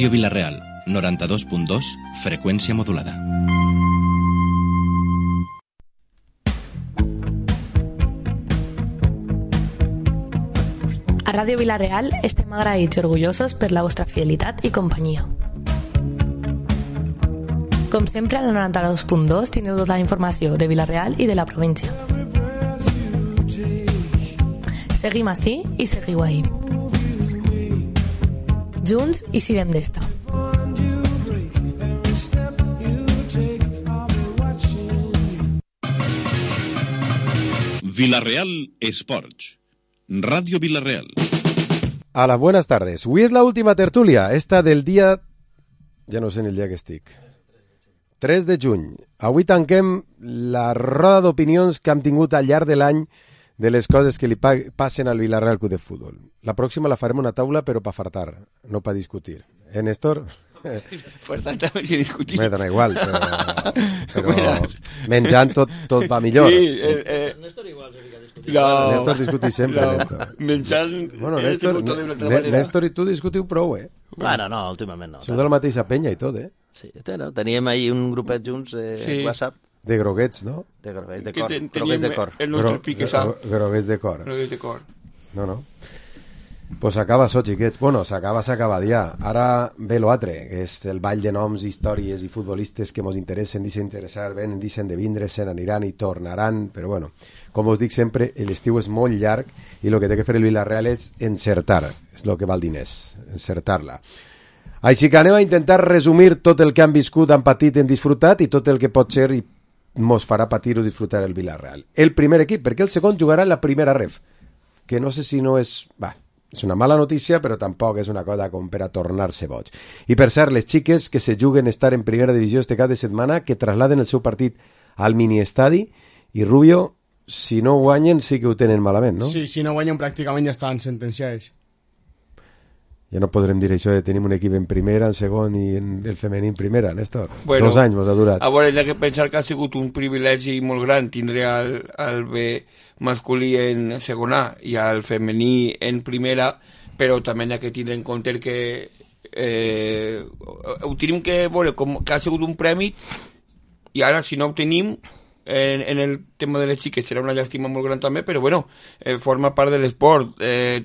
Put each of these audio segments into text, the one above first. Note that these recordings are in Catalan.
Ràdio Vila-real, 92.2, freqüència modulada. A Ràdio Vila-real estem agraïts i orgullosos per la vostra fidelitat i companyia. Com sempre, al 92.2 teniu tota la informació de Vila-real i de la província. Seguim ací i seguiu ahí. Junts i sirem d'esta. Vila-real Esports. Radio Vila-real. Hola, buenas tardes. Avui és la última tertúlia, esta del dia... Ja no sé ni el dia que estic. 3 de juny. Avui tanquem la roda d'opinions que hem tingut al llarg de l'any de les coses que li passen al Vila-real Club de Futbol. La pròxima la farem una taula, però per fartar, no per discutir. Néstor? Pues tanta més que discutir. Me dona igual, però menjant tot va millor. Sí, Néstor igual se fica a discutir. No. Néstor discutir sempre, Néstor. Menjant... Bueno, Néstor i tu discutiu prou, Bueno, no, últimament no. Sou de la mateixa penya i tot, Sí, teníem ahir un grupet junts de WhatsApp. De groguets, no? De groguets de cor. Groguets de cor. El nostre pique sap. Groguets de cor. Groguets de cor. No. Pues s'acaba això, xiquets. Bueno, s'acaba ja. Ara ve l'altre, que és el ball de noms, històries i futbolistes que mos interessen, deixen interessar, venen, deixen de vindre, se n'aniran i tornaran, però bueno, com us dic sempre, l'estiu és molt llarg i el que té que fer el Vila-real és encertar, és el que val diners, encertar-la. Així que anem a intentar resumir tot el que han viscut, han patit, han disfrutat i tot el que pot ser i mos farà patir o disfrutar el Vila-real. El primer equip, perquè el segon jugarà en la primera ref, que no sé si no és... És una mala notícia, però tampoc és una cosa com per a tornar-se boig. I per cert, les xiques que se juguen estar en primera divisió este cap de setmana, que trasladen el seu partit al mini-estadi, i Rubio, si no guanyen, sí que ho tenen malament, no? Sí, si no guanyen pràcticament ja estan sentenciats. Ja no podrem dir això de tenir un equip en primera, en segon i en el femení en primera, Néstor. Bueno, 2 anys mos ha durat. A veure, hi ha que pensar que ha sigut un privilegi molt gran tindre el B masculí en segona i el femení en primera, però també hi ha que tindre en compte que ho tenim que veure com que ha sigut un premi i ara si no ho tenim en el tema de les xiques serà una llàstima molt gran també, però bueno, forma part de l'esport.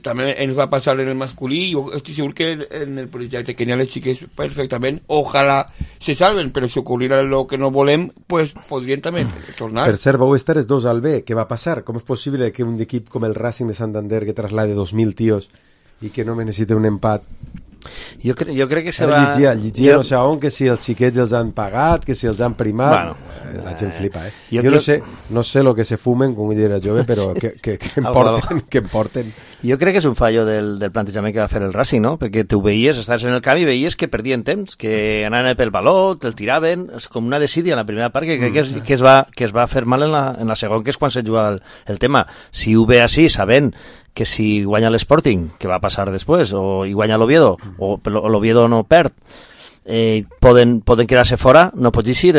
També ens va passar en el masculí. Jo estic segur que en el projecte que n'hi ha les xiques perfectament, ojalà se salven, però si ocorrirà el que no volem, pues podrien també tornar. Per cert, vau estar els dos al B, què va passar? Com és possible que un equip com el Racing de Santander que traslade 2.000 tios i que no necessita un empat? Jo crec que se va... Llegia no sé on, que si els xiquets els han pagat, que si els han primat... Bueno, la gent flipa, Jo no sé lo que se fumen, com era jove, però que em porten... Jo crec que és un fallo del plantejament que va fer el Racing, no? Perquè tu veies, estaves en el camp i veies que perdien temps, que anaven pel baló, te'l tiraven, és com una desídia en la primera part, que crec que es va fer mal en la segona, que és quan se juga el tema. Si ho ve així, sabent que si guanya l'Sporting, que va passar després, o hi guanya l'Oviedo, o l'Oviedo no perd, poden quedar-se fora, no pots eixir,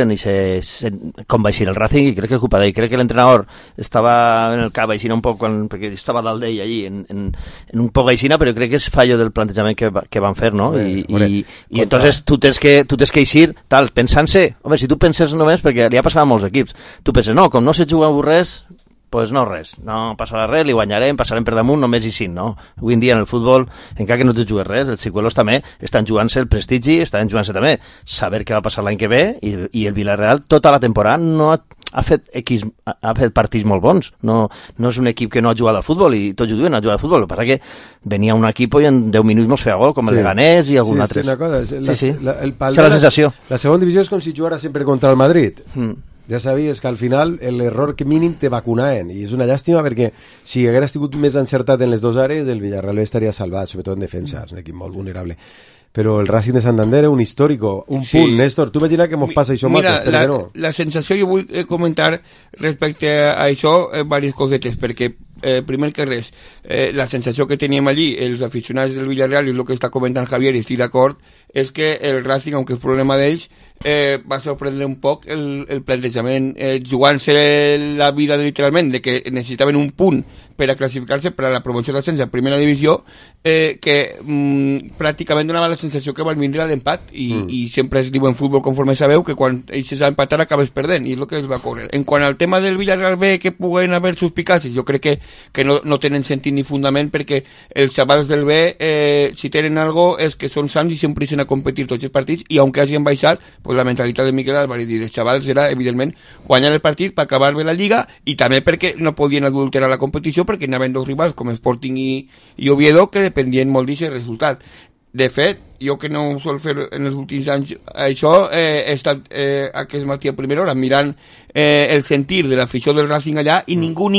com va eixir el Racing, i crec que és culpa d'ell. Crec que l'entrenador estava en el cap aixina un poc, perquè estava dalt d'ell allí, en un poc aixina, però crec que és fallo del plantejament que van fer, no? I entonces tu tens que eixir, tal, pensant-se, home, si tu penses només, perquè li ha passat a molts equips, tu penses, no, com no se juga res, pues no res, no passarà res, li guanyarem, passarem per damunt, només i sí, no. Avui en dia en el futbol, encara que no te jugues res, els xicuelos també estan jugant-se el prestigi, estan jugant-se també saber què va passar l'any que ve, i el Vila-real tota la temporada no ha fet partits molt bons, no és un equip que no ha jugat a futbol, i tots ho diuen, ha jugat a futbol, el que passa que venia un equip i en 10 minuts mos feia gol, com el Leganés i algun altre. Sí, una cosa, és la sensació. La segona divisió és com si jugara sempre contra el Madrid. Ja sabies que al final l'error que mínim te vacunaven, i és una llàstima perquè si hagués sigut més encertat en les dues àrees el Villarreal estaria salvat, sobretot en defensa, és un equip molt vulnerable. Però el Racing de Santander és un històrico, un punt, Néstor, tu imagina que mos passa això mira, la sensació, jo vull comentar respecte a això diverses cosetes, perquè primer que res, la sensació que teníem allí, els aficionats del Villarreal, i el que està comentant Javier, i estic d'acord, és que el Racing, aunque és problema d'ells, va sorprendre un poc el plantejament, jugant-se la vida literalment, de que necessitaven un punt per a classificar-se per a la promoció d'ascens a primera divisió, que pràcticament donava la sensació que van vindre a l'empat, i sempre es diu en futbol, conforme sabeu, que quan ells s'ha empatat acabes perdent, i és el que es va córrer. En quant al tema del Villarreal B, que puguen haver suspicàcies, jo crec que no tenen sentit ni fundament, perquè els xavals del B, si tenen algo, és que són sants i sempre ixen a competir tots els partits, i aunque hagin baixat, pues la mentalitat de Miquel Álvarez i dels xavals era, evidentment, guanyar el partit per acabar bé la Lliga, i també perquè no podien adulterar la competició, perquè anaven dos rivals com Sporting i Oviedo, que dependien molt d'aquest resultat. De fet, jo que no ho sol fer en els últims anys això, he estat aquest matí a primera hora mirant el sentir de l'afició del Racing allà, i ningú,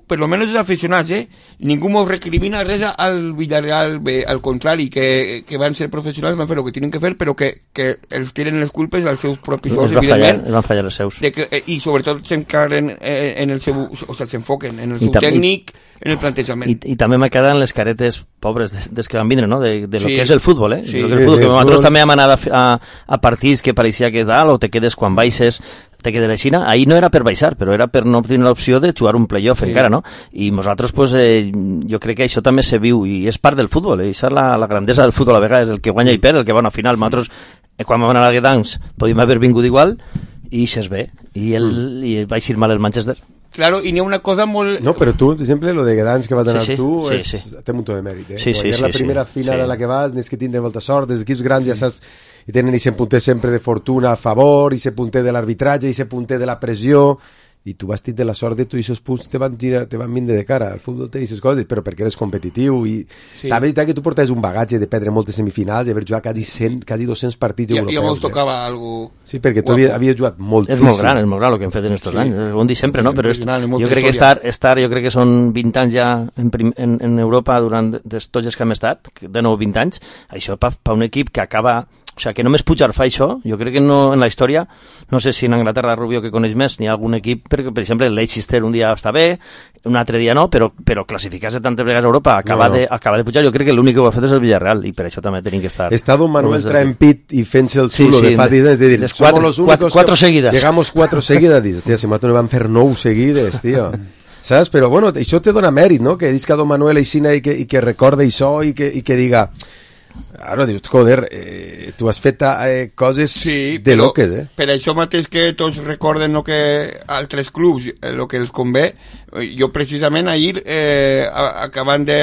per lo menos els aficionats, ningú mos recrimina res al Villarreal B, al contrari, que van ser professionals, van fer el que tenen que fer, però que els tiren les culpes als seus propis sols, evidentment. Van fallar els seus. I sobretot s'encarren en el seu, o sigui, s'enfoquen en el seu tècnic, en el plantejament. I també me queden les caretes pobres des que van vindre, no? De lo que és el futbol, Sí. Lo que és el futbol, que nosaltres també hem anat a partits que pareixia que és dalt, o te quedes quan baixes, te quedes a la Xina. Ahí no era per baixar, però era per no obtenir l'opció de jugar un playoff encara, no? I nosaltres, pues, jo crec que això també se viu, i és part del futbol, Això és la grandesa del futbol, a vegades, el que guanya i perd, el que va a una final. Nosaltres, quan vam anar a Gdansk, podíem haver vingut igual, i s'és bé, i va eixir mal el Manchester. Claro, y ni una cosa molt... No, pero tú, siempre lo de Gdansk que vas a ganar tú, sí. té un muntó de mèrit, Sí, la primera final a la que vas, n'és que tindre molta sort, els equips grans ja saps, i tenen ese punter sempre de fortuna a favor, i ese punter de l'arbitratge, i ese punter de la pressió, i tu vas tindre la sort de tu i aquests punts te van vindre de cara. El futbol té aquestes coses, però perquè eres competitiu, i també és veritat que tu portes un bagatge de perdre moltes semifinals i haver jugat quasi 200 partits europeus. Ja mos tocava algo... Sí, perquè tu havies jugat moltíssim. És molt gran el que hem fet en aquests anys. Ho hem dit sempre, no? Però jo crec que jo crec que són 20 anys ja en Europa durant tots els que hem estat, de nou 20 anys. Això per un equip que acaba... O sigui, que només Pujar fa això, jo crec que no, en la història, no sé si en Anglaterra, Rubio, que coneix més, n'hi ha algun equip, perquè, per exemple, el Leicester un dia està bé, un altre dia no, però classificar-se tantes vegades a Europa, acabar de pujar, jo crec que l'únic que ho ha fet és el Villarreal, i per això també tenim que estar... Està Don Manuel traempit i fent-se el xulo de fa dies, de dir, somos los únicos cuatro seguidas. Llegamos 4 seguidas, dius, tia, si nosaltres no vam fer 9 seguides, tio. Saps? Però bueno, això te dona mèrit, no? Que dius que Don Manuel aixina i que recorda això i que diga... Ara dius, joder, tu has fet coses de loques, Per això mateix que tots recorden que altres clubs, el que els convé, jo precisament ahir, acabant de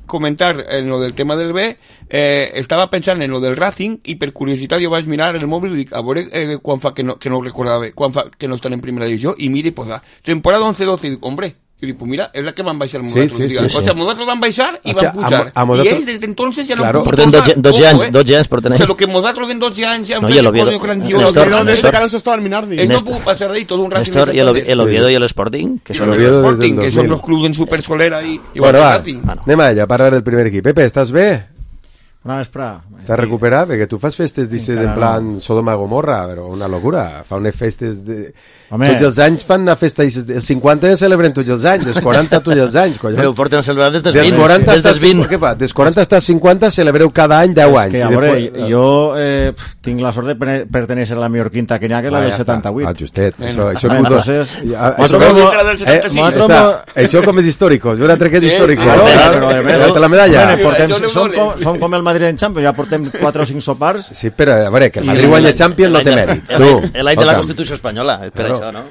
comentar en lo del tema del B, estava pensant en lo del Racing, i per curiositat jo vaig mirar el mòbil i dic, a veure quan fa que no ho recordava bé, quan fa que no estan en primera divisió, i mira i posa, temporada 11-12, i dic, hombre, i dic, pues mira, és la que van baixar nosaltres. Sí. O sigui, nosaltres van baixar i van pujar. I ells, des d'entonces, ja no han pogut portar. 12 anys porten ells. O sigui, lo que nosaltres en 12 anys ja han fet coses grandioses. Desde que no se estaban Minardi. Ells no pudo pasar d'ahí tot un Racing. Néstor, y el Oviedo y el Sporting, que son los clubs en Supersolera i bueno, va, anem allà a parlar del primer equip. Pepe, estàs bé? Bona vesprà. Estàs recuperat? Perquè tu fas festes dices en plan Sodoma Gomorra, però una locura. Fa unes festes de... Home. Tots els anys fan una festa, els 50 celebren tots els anys, els 40 tots els anys, collons. Però ho porten a celebrar des dels 20. Des dels 20. Què fa? Des 40 fins als 50 celebreu cada any 10 anys. És que, a veure, jo tinc la sort de pertenèixer a la millor quinta que n'hi ha, que és la del 78. Ah, justet. Això com és històric. Jo l'altre que és històric. La medalla. Som com el Madrid en Champions, ja portem 4 o 5 sopars. Sí, però a veure, que el Madrid guanya Champions no té mèrits. L'any de la Constitució Espanyola, espera. No?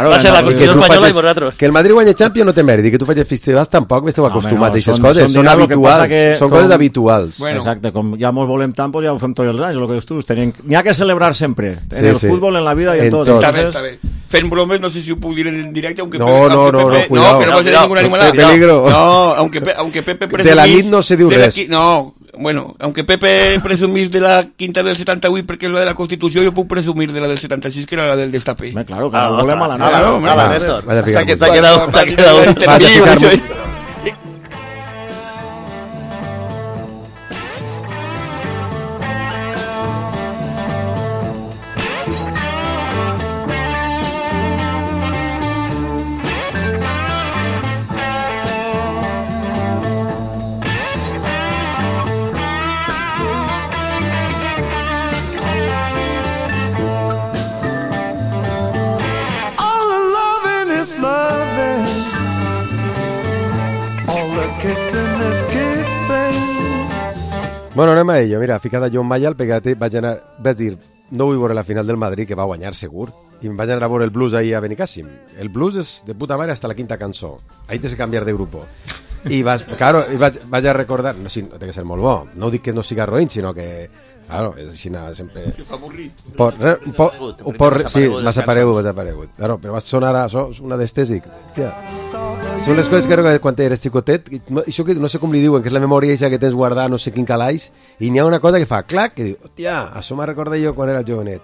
Va ser la Constitució Espanyola i vosaltres. Que el Madrid guanya Champions no té mèrit, i que tu facis festivals tampoc esteu acostumats a aquestes coses, són habituals, són coses habituals. Exacte, com ja mos volem tant, ja ho fem tots els anys, el que dius tu, n'hi ha que celebrar sempre, en el futbol, en la vida i en tot. Està bé. Fent bromes, no sé si ho puc dir en directe, aunque no, cuidado. No, pero no ninguna animalada. Peligro. No, aunque Pepe presumís... De la nit no se diu res. No, bueno, aunque Pepe presumís de la quinta del 78 perquè és la de la Constitució, jo puc presumir de la del 76, que era la del destape. Claro, que la volem a la nostra. Claro, Néstor. T'ha quedado. Bueno, anem a ello. Mira, ficada John Mayall, perquè vaig dir, no vull veure la final del Madrid, que va guanyar segur, i em vaig anar a veure el blues ahir a Benicàssim. El blues és de puta mare hasta la quinta cançó. Ahí tens que canviar de grupo. I vaig a recordar, no, sí, té que ser molt bo, no dic que no siga roïn, sinó que, claro, és així sempre... Que fa avorrit. Sí, m'ha desaparegut. Claro, però va sonar una d'estes, dic, tia, són les coses que quan eres xicotet, això que no sé com li diuen, que és la memòria aquesta que tens guardada no sé quin calaix, i n'hi ha una cosa que fa clac, que diu, hòstia, això m'ha recordat jo quan era jovenet.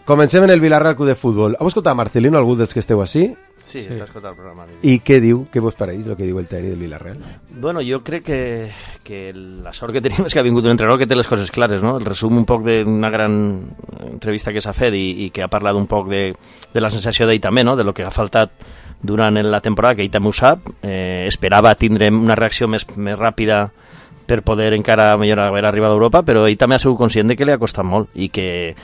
Comencem en el Villarreal Club de Futbol. Heu escoltat Marcelino, algú dels que esteu així? Sí, he escoltat el programa. I què diu? Què vos pareix el que diu el tècnic del Villarreal? Bueno, jo crec que la sort que tenim és que ha vingut un entrenador que té les coses clares, no? El resum un poc d'una gran entrevista que s'ha fet i que ha parlat un poc de la sensació d'ell també, no? De lo que ha faltat durant la temporada, que ell també ho sap. Esperava tindre una reacció més ràpida per poder encara millor haver arribat a Europa, però ell també ha sigut conscient de que li ha costat molt i que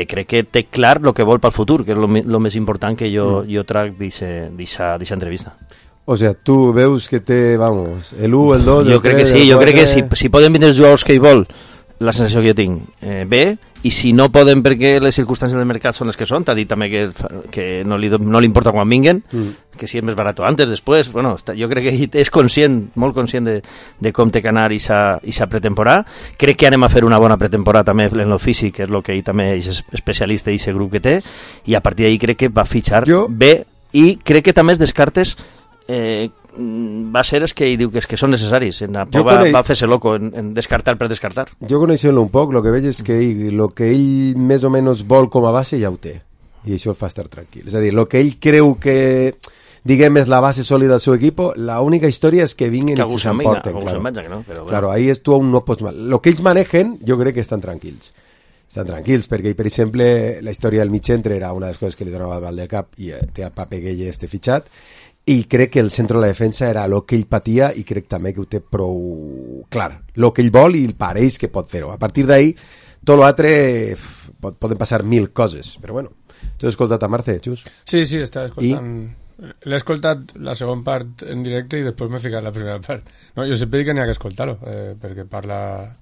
crec que té clar el que vol pel futur, que és el més important que jo trac d'aquesta entrevista. O sea, tu veus que té, vamos, el 1, el 2, jo crec que sí, jo crec que si poden vindre els jugadors que ell vol, la sensació que jo tinc, bé, i si no poden perquè les circumstàncies del mercat són les que són, t'ha dit també que no li importa quan vinguen, que si és més barat antes, després, bueno, jo crec que ell és conscient, molt conscient de com té que anar i s'ha pretemporada. Crec que anem a fer una bona pretemporada també en el físic, que és el que ell també és especialista i aquest grup que té, i a partir d'ahir crec que va fitxar bé, i crec que també els descartes va ser els que ell diu que són necessaris. Va fer-se loco en descartar per descartar. Jo coneixent-lo un poc, el que veig és que el que ell més o menys vol com a base ja ho té, i això el fa estar tranquil. És a dir, el que ell creu que diguem és la base sòlida del seu equip, l'única història és que vinguin i s'emporten. Claro, ahí tu aún no pots mal. El que ells manegen, jo crec que estan tranquils. Estan tranquils, perquè, per exemple, la història del mig centre era una de les coses que li donava mal del cap, i té a Pape Gueye fitxat, i crec que el centre de la defensa era el que ell patia, i crec també que ho té prou clar, el que ell vol i el pareix que pot fer-ho. A partir d'ahir tot l'altre poden passar 1000 coses, però bueno. Tu has escoltat a Marce, Xus? Sí, estava escoltant. L'he escoltat la segona part en directe i després m'he ficat la primera part. No, jo sempre dic que n'hi ha que escoltar-lo, perquè parla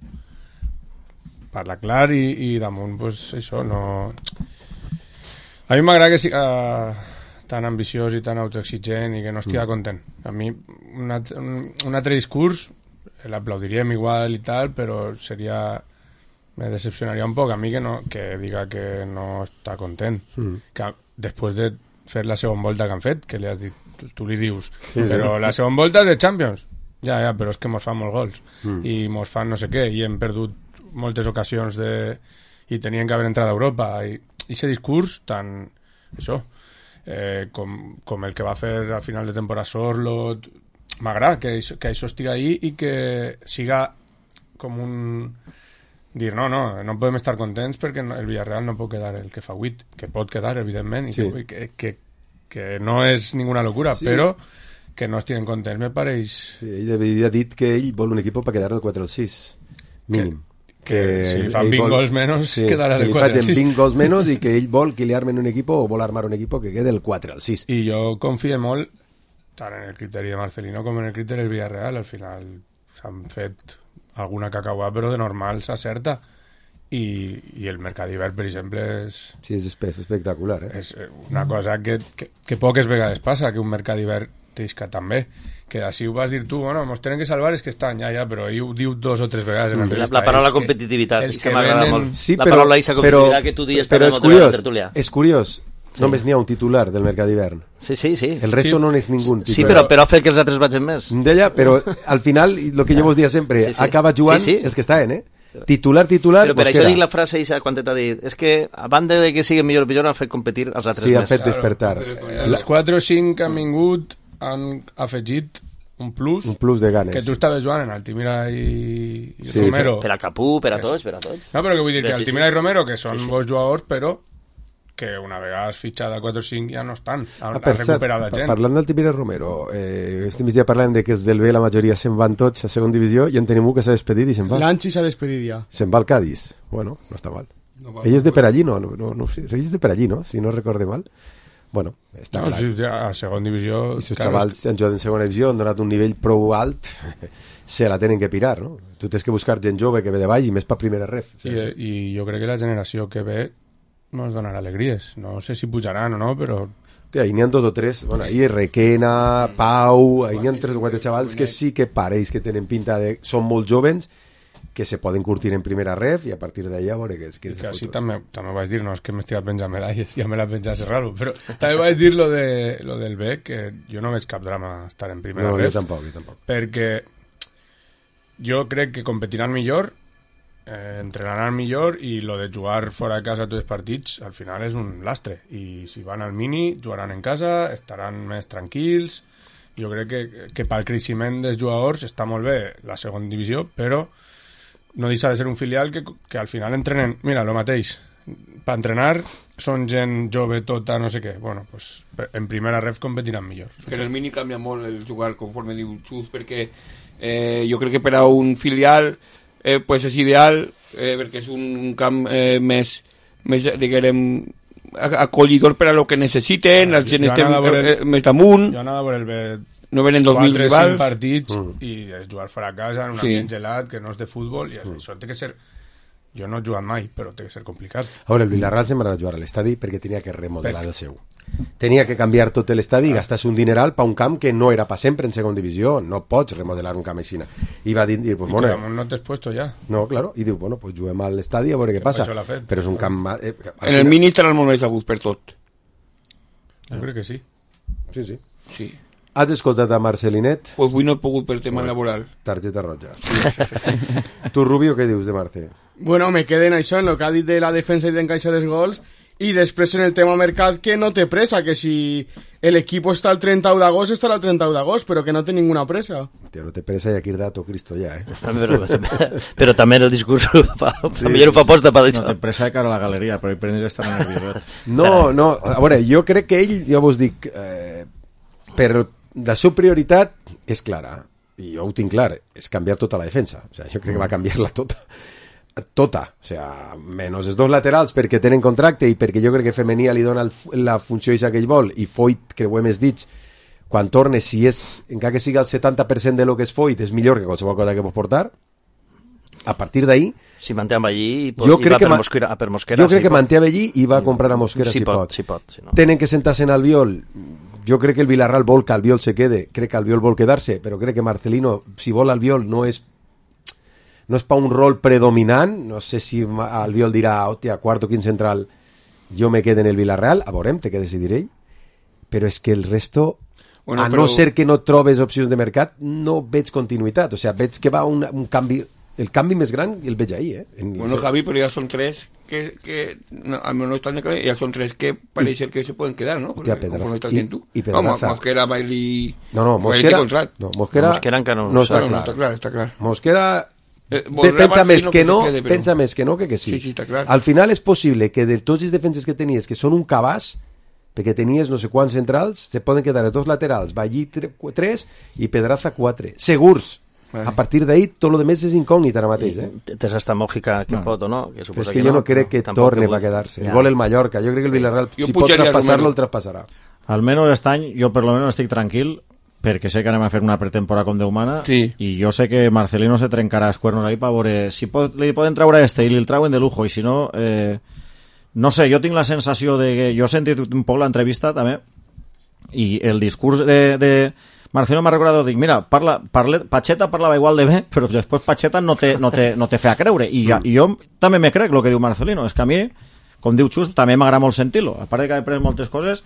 clar i damunt, pues, això, no... A mi m'agrada que siga tan ambiciós i tan autoexigent i que no estigui content. A mi un altre discurs l'aplaudiríem igual i tal, però me decepcionaria un poc a mi que diga que no està content. Que després de fer la segona volta que han fet, que li has dit, tu li dius, però la segona volta és de Champions. Ja, però és que mos fan molts gols i mos fan no sé què, i hem perdut moltes ocasions i tenien que haver entrat a Europa, i aquest discurs tan... això, com el que va fer a final de temporada Sorlot, m'agrada que això estigui ahí i que siga com un... dir, no podem estar contents perquè el Villarreal no pot quedar el que fa 8, que pot quedar, evidentment, i que no és ninguna locura, però que no estiguen contents, me pareix... Sí, ell havia dit que ell vol un equip per quedar del 4 al 6, mínim. Que si li fan 20 gols menys, quedarà del 4 al 6. Que li facin 20 gols menys i que ell vol que li armen un equip o vol armar un equip que quede del 4 al 6. I jo confio molt tant en el criteri de Marcelino com en el criteri del Villarreal. Al final s'han fet alguna cacaua, però de normal s'acerta. I el mercat d'hivern, per exemple, és espectacular. És una cosa que poques vegades passa, que un mercat d'hivern t'isca també. Que així ho vas dir tu, bueno, mos tenen que salvar és que estan, ja, però ell ho diu 2 o 3 vegades en l'entrevista. La paraula competitivitat, és que m'agrada molt. Sí, la paraula aquesta competitivitat que tu dius també és curiós, és curiós. Només n'hi ha un titular del mercat d'hivern. Sí. El resto no n'és ningú titular. Sí, però ha fet que els altres vagin més. Deia, però al final, el que jo vos dia sempre, acaba jugant els que estaven, Titular... Però per això dic la frase eixa quan t'ha dit, és que a banda de que siguin millor o pitjor, han fet competir els altres més. Sí, han fet despertar. Els 4 o 5 que han vingut han afegit un plus de ganes. Que tu estaves jugant en Altimira i Romero. Per a Capú, per a tots. No, però que vull dir que Altimira i Romero, que són bons jugadors, però que una vegada has fitxat a 4 o 5 ja no estan. Han recuperat la gent. Parlant d'Altimira i Romero, este migdia parlem de que els del B la majoria se'n van tots a segona divisió i en tenim un que s'ha despedit i se'n va. L'Anchi s'ha despedit ja. Se'n va al Cádiz. Bueno, no està mal. Ell és de per allí, no sé, ell és de per allí, no? Si no recorde mal. bueno, està clar. Sí, a segon divisió... I si els xavals han jugat en segona divisió, han donat un nivell prou alt, se la tenen que pirar, no? Tu tens que buscar gent jove que ve de baix i més per primera ref. I jo crec que la generació que ve ens donarà alegries. No sé si pujaran o no, però... Ahí n'hi ha 2 o 3, bueno, ahí Requena, Pau, ahí n'hi ha 3 o 4 xavals que sí que pareix que tenen pinta de... Són molt jovens, que se poden curtir en primera ref i a partir d'allà veure què és que així també vaig dir, no és que m'estigui penjant medalles, ja me la penjat raro, però també vaig dir lo del Bec, que jo no veig cap drama estar en primera ref. Jo tampoc. Perquè jo crec que competiran millor, entrenaran millor, i lo de jugar fora de casa tots els partits al final és un lastre, i si van al mini jugaran en casa, estaran més tranquils. Jo crec que pel creixement dels jugadors està molt bé la segona divisió, però no deixa de ser un filial que al final entrenen, mira, lo mateix, per entrenar són gent jove tota, no sé què, bueno, pues en primera ref competiran millor. Que en el mini canvia molt el jugar, conforme diu Xus, perquè jo crec que per a un filial pues és ideal, perquè és un camp més diguem, acollidor per a lo que necessiten, la gent estem més damunt. Jo anava a veure el B. No venen 2.000 rivals. 4-5 partits i és jugar fora a casa en un ambient gelat que no és de futbol, i això té que ser... Jo no he jugat mai, però té que ser complicat. A veure, el Villarreal se'n va a jugar a l'estadi perquè tenia que remodelar el seu. Tenia que canviar tot l'estadi i gastar-se un dineral per un camp que no era per sempre en segona divisió. No pots remodelar un camp així. I va dir, pues, bueno... no t'has puesto ja. No, claro. I diu, bueno, pues juguem a l'estadi a veure què passa. Però és un camp... En el mini estarà molt més agut per tot. Jo crec que sí. Sí. Has escoltat a Marcelinet? Pues avui no he pogut per tema laboral. Targeta roja. Tu, Rubio, què dius de Marce? Bueno, me queden això en el que ha dit de la defensa i d'encaixar els gols, i després en el tema mercat, que no té pressa, que si l'equip està el 31 d'agost, estarà el 31 d'agost, però que no té ninguna pressa. Tío, no té pressa i aquí dato Cristo ja, Però també el discurs millor ho fa posta per això. No té pressa de cara a la galeria, però hi prenis estar nerviós. No, a veure, jo crec que ell, ja vos dic, per la seva prioritat és clara, i jo ho tinc clar, és canviar tota la defensa. O sigui, jo crec que va canviar-la tota, o sea, menys els 2 laterals perquè tenen contracte i perquè jo crec que Femenia li dona la funció que ell vol, i Foyt, creuem els dits, quan torne, si és, encara que sigui el 70% de lo que és Foyt, és millor que qualsevol cosa que pot portar. A partir d'ahí, si manté amb allí i va per Mosquera, jo crec que manté amb allí i va a comprar a Mosquera si pot. Tenen que sentar-se en Albiol. Jo crec que el Villarreal vol que Albiol se quede, crec que Albiol vol quedar-se, però crec que Marcelino, si vol Albiol, no és per un rol predominant. No sé si Albiol dirà, hòstia, quart o quin central, jo me quedo en el Villarreal, a veurem, té que decidir ell, però és que el resto, no ser que no trobes opcions de mercat, no veig continuïtat, o sigui, veig que va un canvi, el canvi més gran el veig ahí, Bueno, Javi, però ja són 3 que al menos no están de cabeza, ya son 3 que parece que se pueden quedar, ¿no? Hostia, y Pedraza. Mosquera, Bailey... Mosquera encara no està clar. Mosquera pensa més que no que sí. Sí, està clar. Al final és possible que de tots els defenses que tenies, que són un cabàs, perquè tenies no sé quants centrals, se poden quedar els 2 laterals, Bailey 3 i Pedraza 4. Segurs! A partir d'ahí, tot el més és incògnit ara mateix. Tens hasta Mòjica que pot o no? Però és que jo no crec que torne a quedar-se. Vol el Mallorca. Jo crec que el Villarreal, si pot traspassar-lo, el traspassarà. Almenys aquest any, jo per lo menos estic tranquil, perquè sé que anem a fer una pretemporada com Déu mana, i jo sé que Marcelino se trencarà els cuernos ahí per veure si li poden treure i li el trauen de lujo, i si no, no sé, jo tinc la sensació de que jo he sentit un poc l'entrevista també, i el discurs de Marcelino m'ha recordat, dic, mira, Pacheta parlava igual de bé, però després Pacheta no te feia creure, i jo també me crec el que diu Marcelino, és que a mi, com diu Xus, també m'agrada molt sentir-lo, a part de que he après moltes coses.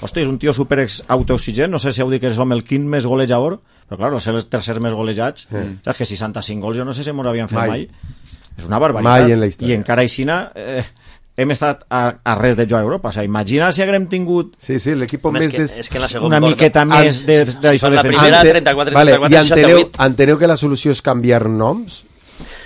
Hosti, és un tio super autoexigent, no sé si heu dit que és el quint més golejador, però clar, ser els tercers més golejats, saps que 65 gols jo no sé si mos havien fet mai. És una barbaritat. Mai en la història. I encara aixina hem estat a res de jugar a Europa. O sigui, imagina si haguem tingut l'equip una miqueta més d'això de primera, 34, i enteneu que la solució és canviar noms?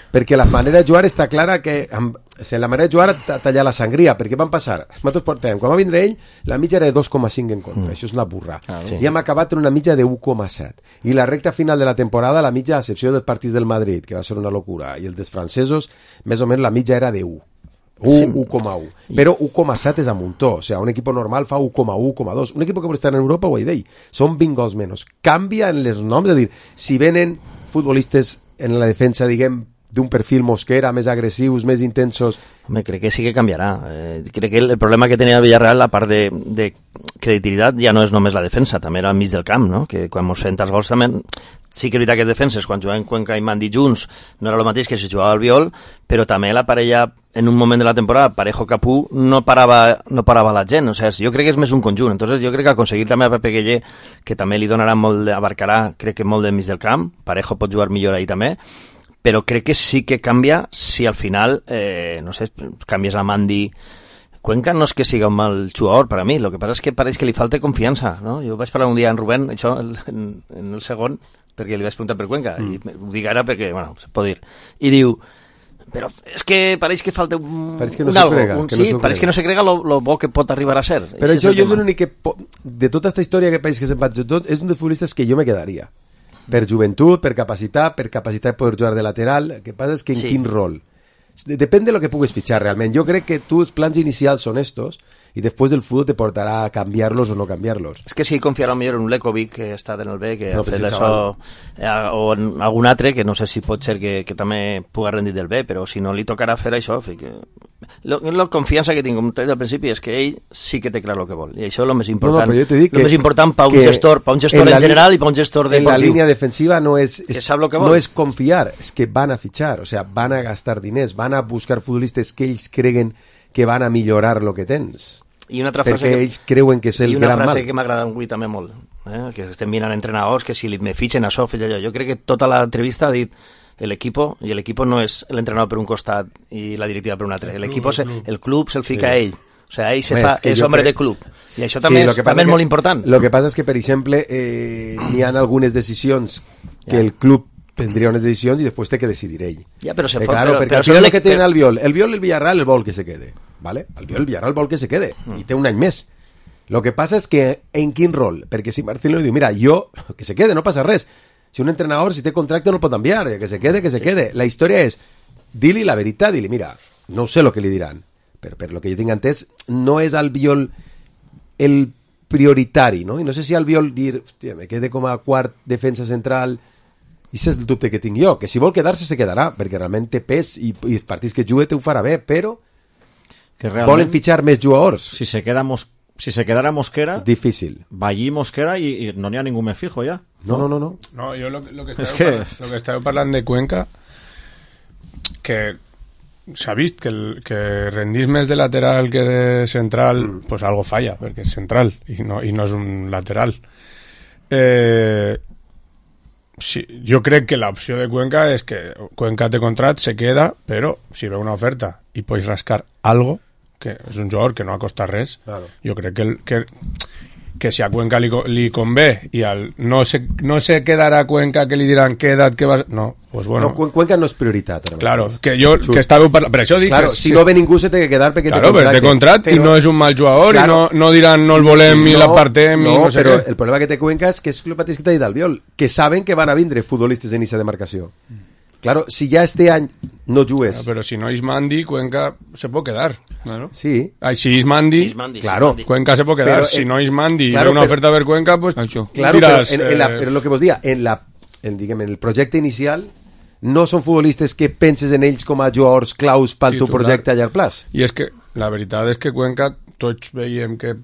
Perquè la manera de jugar està clara que la manera de jugar tallar la sangria, perquè van passar, nosaltres portem, quan va vindre ell la mitja era de 2,5 en contra, això és una burra, i hem acabat en una mitja de 1,7 i la recta final de la temporada, la mitja a excepció dels partits del Madrid, que va ser una locura, i els dels francesos més o menys la mitja era de 1. 1,1. Però 1,7 és a muntó. O sigui, un equip normal fa 1,1, 1,2. Un equip que pot estar en Europa, ho he dit, són 20 gols menys. Canvia en les noms, és a dir, si venen futbolistes en la defensa, diguem, d'un perfil Mosquera, més agressius, més intensos... Home, crec que sí que canviarà. Crec que el problema que tenia Villarreal, a part de creditivitat, ja no és només la defensa, també era al mig del camp, no? Que quan mos feien els gols també... Sí que és veritat que les defenses, quan jugaven Cuenca i Mandi junts, no era el mateix que si jugava al Biol, però també la parella, en un moment de la temporada, Parejo-Capú, no parava la gent. O sigui, jo crec que és més un conjunt. Entonces, jo crec que aconseguir també a Pepe Gueye, que també li donarà molt, abarcarà, crec que molt del mig del camp, Parejo pot jugar millor ahí també, però crec que sí que canvia si al final, no sé, canvies a Mandi. Cuenca no és que siga un mal jugador per a mi, el que passa és que pareix que li falta confiança, no? Jo vaig parlar un dia amb Rubén, això, en el segon, perquè li vaig preguntar per Cuenca, i ho dic ara perquè, bueno, se pot dir, i diu, però és que pareix que falta pareix que no se crega, pareix que no se crega lo bo que pot arribar a ser. Però això jo és l'únic que, de tota aquesta història que pareix que se'n va tot, és un dels futbolistes que jo me quedaria. Per joventut, per capacitat de poder jugar de lateral. El que passa és que en quin rol. Depèn de lo que pugues fitxar realment. Jo crec que els plans inicials són estos i després el futbol te portarà a canviar-los o no canviar-los. És que si confiarà millor en un Lekovic que està en el B, que no, ha fet això, o en algun altre, que no sé si pot ser que també pugui rendir del B, però si no li tocarà fer això, la confiança que tinc, com t'he dit al principi, és que ell sí que té clar el que vol, i això és el més important. El més important per un gestor en general i per un gestor deportiu. En la línia defensiva no és confiar, és que van a fitxar, o sea, van a gastar diners, van a buscar futbolistes que ells creguen que van a millorar lo que tens. I una altra frase perquè ells creuen que és el gran mal. I una frase que m'agrada avui també molt, que estem mirant entrenadors, que si me fitxen això, allò. Jo crec que tota l'entrevista ha dit el equipo no és l'entrenador per un costat i la directiva per un altre. El club se'l fica a ell. O sea, ell és home de club. I això també és molt important. El que passa és que, per exemple, n'hi ha algunes decisions que el club prendria unes decisions i després té que decidir ell. Ja, però se fot, perquè al final el que té el Biol, el Villarreal el vol que se quede, ¿vale? El Villarreal vol que se quede i té un any més. Lo que passa és que en quin rol? Perquè si Marcelo diu, mira, jo, que se quede, no passa res. Si un entrenador, si té contracte, no el pot enviar, que se quede. La història és, di-li la veritat, di-li, mira, no sé el que li diran, però per lo que jo tinc entès, no és al Biol el prioritari, no? I no sé si al Biol dir, hòstia, me quede com a quart defensa central. I és el dubte que tinc jo, que si vol quedar-se se quedarà, perquè realment té pes i els partits que jugue te ho farà bé, però que volen fitxar més jugadors. Si se quedara Mosquera, és difícil. Va allí Mosquera i no n'hi ha ningú més fijo ja. No. No, jo lo que estava parlant de Cuenca, que s'ha vist que rendís més de lateral que de central, pues algo falla, perquè és central i no és un lateral. Sí, jo crec que l'opció de Cuenca és que Cuenca té contrat, se queda, però si ve una oferta i pots rascar algo, que és un jugador que no ha costat res, claro. Jo crec que si a Cuenca li convé i no se quedarà Cuenca que li diran queda't, que vas... No, pues bueno. No, Cuenca no és prioritat. Claro, que estava parlant... Per això dic claro, que... Si no ve ningú se té que quedar perquè té contracte però... i no és un mal jugador, claro, i no diran no el volem i l'apartem i no sé però què. El problema que té Cuenca és que és el mateix que t'ha dit Albiol, que saben que van a vindre futbolistes en esa demarcació. Claro, si ya este any no jugues... Pero si no es Mandi, Cuenca se puede quedar. Claro. Sí. Si es Mandi, claro. Cuenca se puede quedar. Pero, si no es Mandi claro, y una oferta a ver Cuenca, pues... Claro, dirás, pero lo que vos diga, en el projecte inicial no són futbolistes que penses en ells com a jugadors claus pel teu projecte a llarg plaç. I és que la veritat és que Cuenca tots veiem que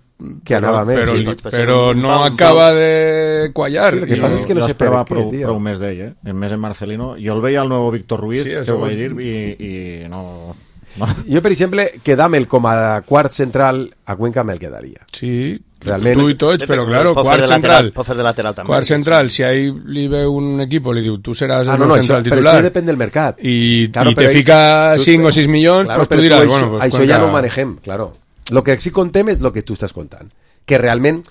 anava més, però no acaba de quallar. Sí, el que passa és que no se esperava prou més d'ell, el més en Marcelino. Jo el veia al nuevo Víctor Ruiz, que ho vaig dir, i no... Jo, per exemple, quedar-me'l com a quart central a Cuenca me'l quedaria. Sí, realment, tu i tots, però claro, quart central. Pot fer de lateral també. Quart central, si ahí li ve un equip li diu, tu seràs el central titular. Però això depèn del mercat. I te fica 5 o 6 milions, pues tu diràs, bueno, pues això ja no ho manegem, claro. Lo que sí contem és lo que tu estàs contant. Que realment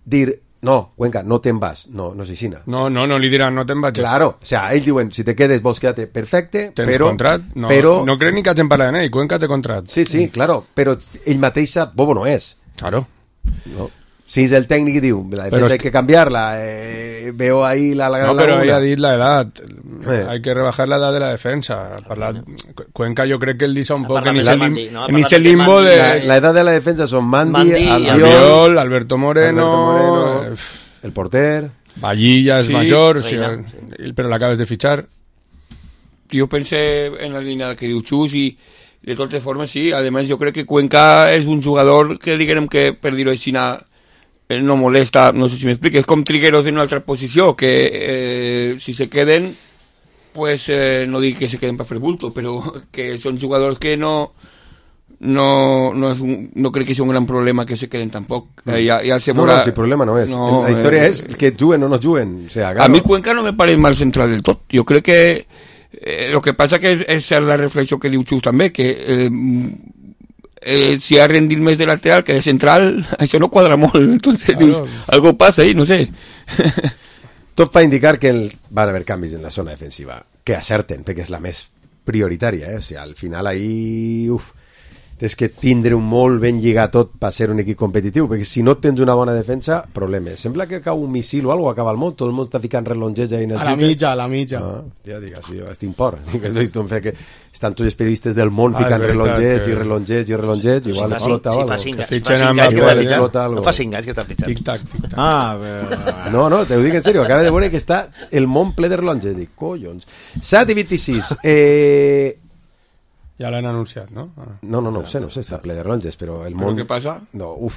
dir, no, Cuenca, no te'n vas. No és així. No li diran, no te'n vaig. Claro, o sea, ells diuen, si te quedes, vols quedar-te perfecte, tens però... contrat? No crec ni que hagin parlat d'ell, Cuenca té contrat. Sí, claro, però ell mateix sap, bobo no és. Claro. No. Si es el técnico y diu, la defensa hay que cambiarla, veo ahí la gran laguna. No, pero ella ha dit la edad. Hay que rebajar la edad de la defensa. Cuenca yo creo que él dice un poco en ese limbo de... La edad de la defensa son Mandy, Albiol, Alberto Moreno, el porter... Vallilla es mayor, pero la acabas de fichar. Yo pensé en la línea que diu Chus y de todas formas sí. Además yo creo que Cuenca es un jugador que diguem que per dir-ho així no molesta, no sé si m'explico, és com Trigueros en una altra posició, que si se queden, pues no dic que se queden per fer bulto, però que són jugadors que no crec que sigui un gran problema que se queden tampoc. No, si el problema no és. No, la història és que juguen o no juguen. O sea, claro. A mi Cuenca no me pareix mal central del tot. Jo crec que lo que passa que és la reflexió que diu Xus també, que si ha rendit més de lateral que de central, això no quadra molt. Entonces dius, algo passa ahí, no sé. Tot fa indicar que van haver canvis en la zona defensiva, que acerten, perquè és la més prioritària, O sigui, al final ahí... és que tindre un molt ben lligat tot per ser un equip competitiu, perquè si no tens una bona defensa, problemes. Sembla que cau un missil o alguna cosa, acaba el món, tot el món està ficant relongets ahí en el a la mitja. Ja digues, jo estic por. Que estan tots els periodistes del món ficant relongets i relongets, igual explota algo. No fa 5 anys que estan fitxant. Tic-tac. No, te ho dic en sèrio, acaba de veure que està el món ple de relongets. Dic, collons. 7:26. Ja l'han anunciat, no? No ho sé, està ple de ronges, però el món... Què passa? No ho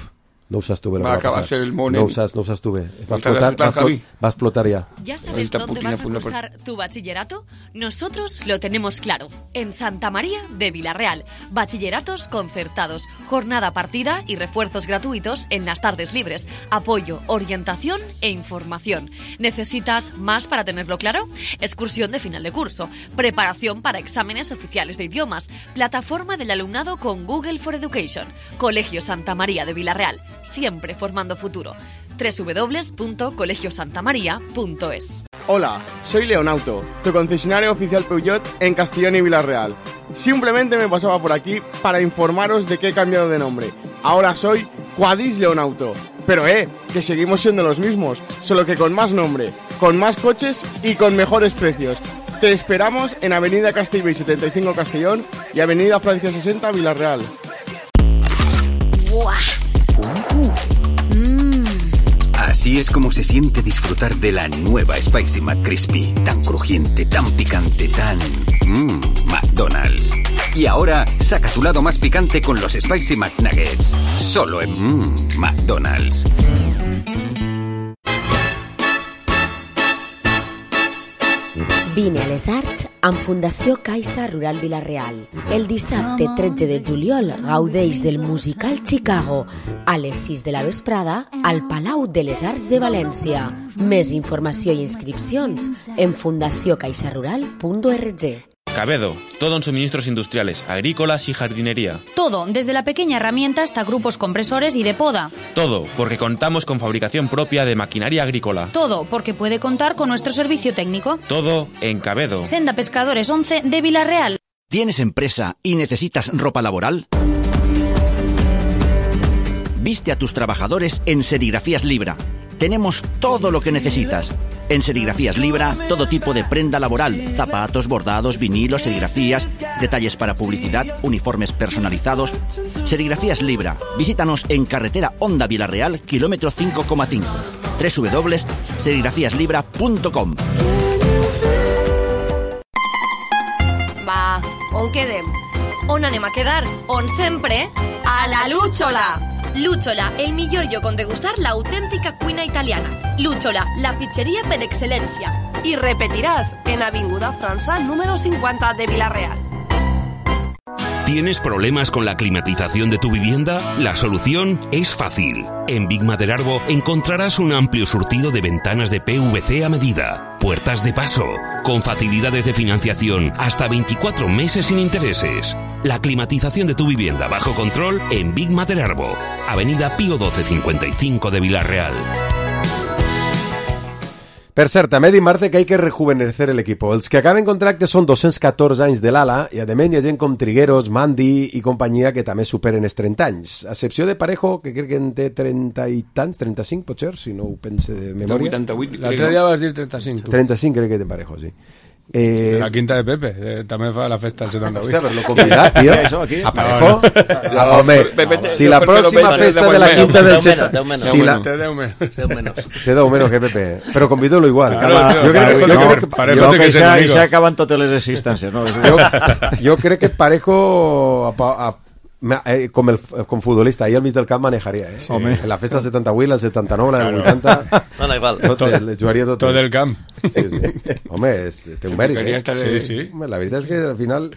saps tu bé. Va acabar ser el món... No ho saps tu bé. Va a explotar ya. ¿Ya sabes dónde vas a cursar tu bachillerato? Nosotros lo tenemos claro. En Santa María de Villarreal. Bachilleratos concertados, jornada partida y refuerzos gratuitos en las tardes libres. Apoyo, orientación e información. ¿Necesitas más para tenerlo claro? Excursión de final de curso. Preparación para exámenes oficiales de idiomas. Plataforma del alumnado con Google for Education. Colegio Santa María de Villarreal. Siempre formando futuro. www.colegiosantamaria.es. Hola, soy Leonauto, tu concesionario oficial Peugeot en Castellón y Villarreal. Simplemente me pasaba por aquí para informaros de que he cambiado de nombre. Ahora soy Quadis Leonauto. Pero que seguimos siendo los mismos, solo que con más nombre, con más coches y con mejores precios. Te esperamos en Avenida Castellbell 75 Castellón y Avenida Francia 60 Villarreal. Así es como se siente disfrutar de la nueva Spicy McCrispy. Tan crujiente, tan picante, tan... McDonald's. Y ahora, saca tu lado más picante con los Spicy McNuggets. Solo en McDonald's. Vine a les Arts amb Fundació Caixa Rural Vila-real. El dissabte 13 de juliol gaudeix del musical Chicago a les 6 de la vesprada al Palau de les Arts de València. Més informació i inscripcions en fundaciocaixarural.org. Cabedo, todo en suministros industriales, agrícolas y jardinería. Todo, desde la pequeña herramienta hasta grupos compresores y de poda. Todo, porque contamos con fabricación propia de maquinaria agrícola. Todo, porque puede contar con nuestro servicio técnico. Todo en Cabedo. Senda Pescadores 11 de Villarreal. ¿Tienes empresa y necesitas ropa laboral? Viste a tus trabajadores en Serigrafías Libra. Tenemos todo lo que necesitas. En Serigrafías Libra, todo tipo de prenda laboral, zapatos, bordados, vinilos, serigrafías, detalles para publicidad, uniformes personalizados. Serigrafías Libra. Visítanos en carretera Honda Villarreal, kilómetro 5,5. www.serigrafíaslibra.com. Va, on quedem? On anem a quedar? On sempre? A la Lúchola! Lúchola, el millor lloc on degustar la auténtica cuina italiana. Lúchola, la pizzería per excelencia. I repetiràs en Avinguda França número 50 de Villarreal. ¿Tienes problemas con la climatización de tu vivienda? La solución es fácil. En Big Maderarbo encontrarás un amplio surtido de ventanas de PVC a medida, puertas de paso, con facilidades de financiación hasta 24 meses sin intereses. La climatización de tu vivienda bajo control en Big Maderarbo, Avenida Pío 1255 de Villarreal. Per cert, també dir, Marce, que hay que rejuvenecer el equipo. Els que acaben contracte són 214 anys de l'ala i, a més, hi ha gent com Trigueros, Mandi i companyia que també superen els 30 anys. A excepció de Parejo, que crec que en té 30 i tants, 35, potser, si no ho pense de memòria. 88. L'altre dia vas dir 35, tu. 35 crec que té Parejo, sí. La quinta de Pepe, també fa la festa del 78. Hòstia, però lo convidat, tio. A Parejo? No, home, si la pròxima festa de la quinta del 78... Té 10 menos. Té 10 menos que Pepe. Però convido-lo igual. Jo crec que s'acaben totes les existències. Jo crec que Parejo... com futbolista, ahí al mig del camp manejaria, Sí. En la festa del 78, la del 79, la del 80... No, da igual. Jugaria tot el camp. Sí. Home, té un mèrit, Sí. La veritat és que al final...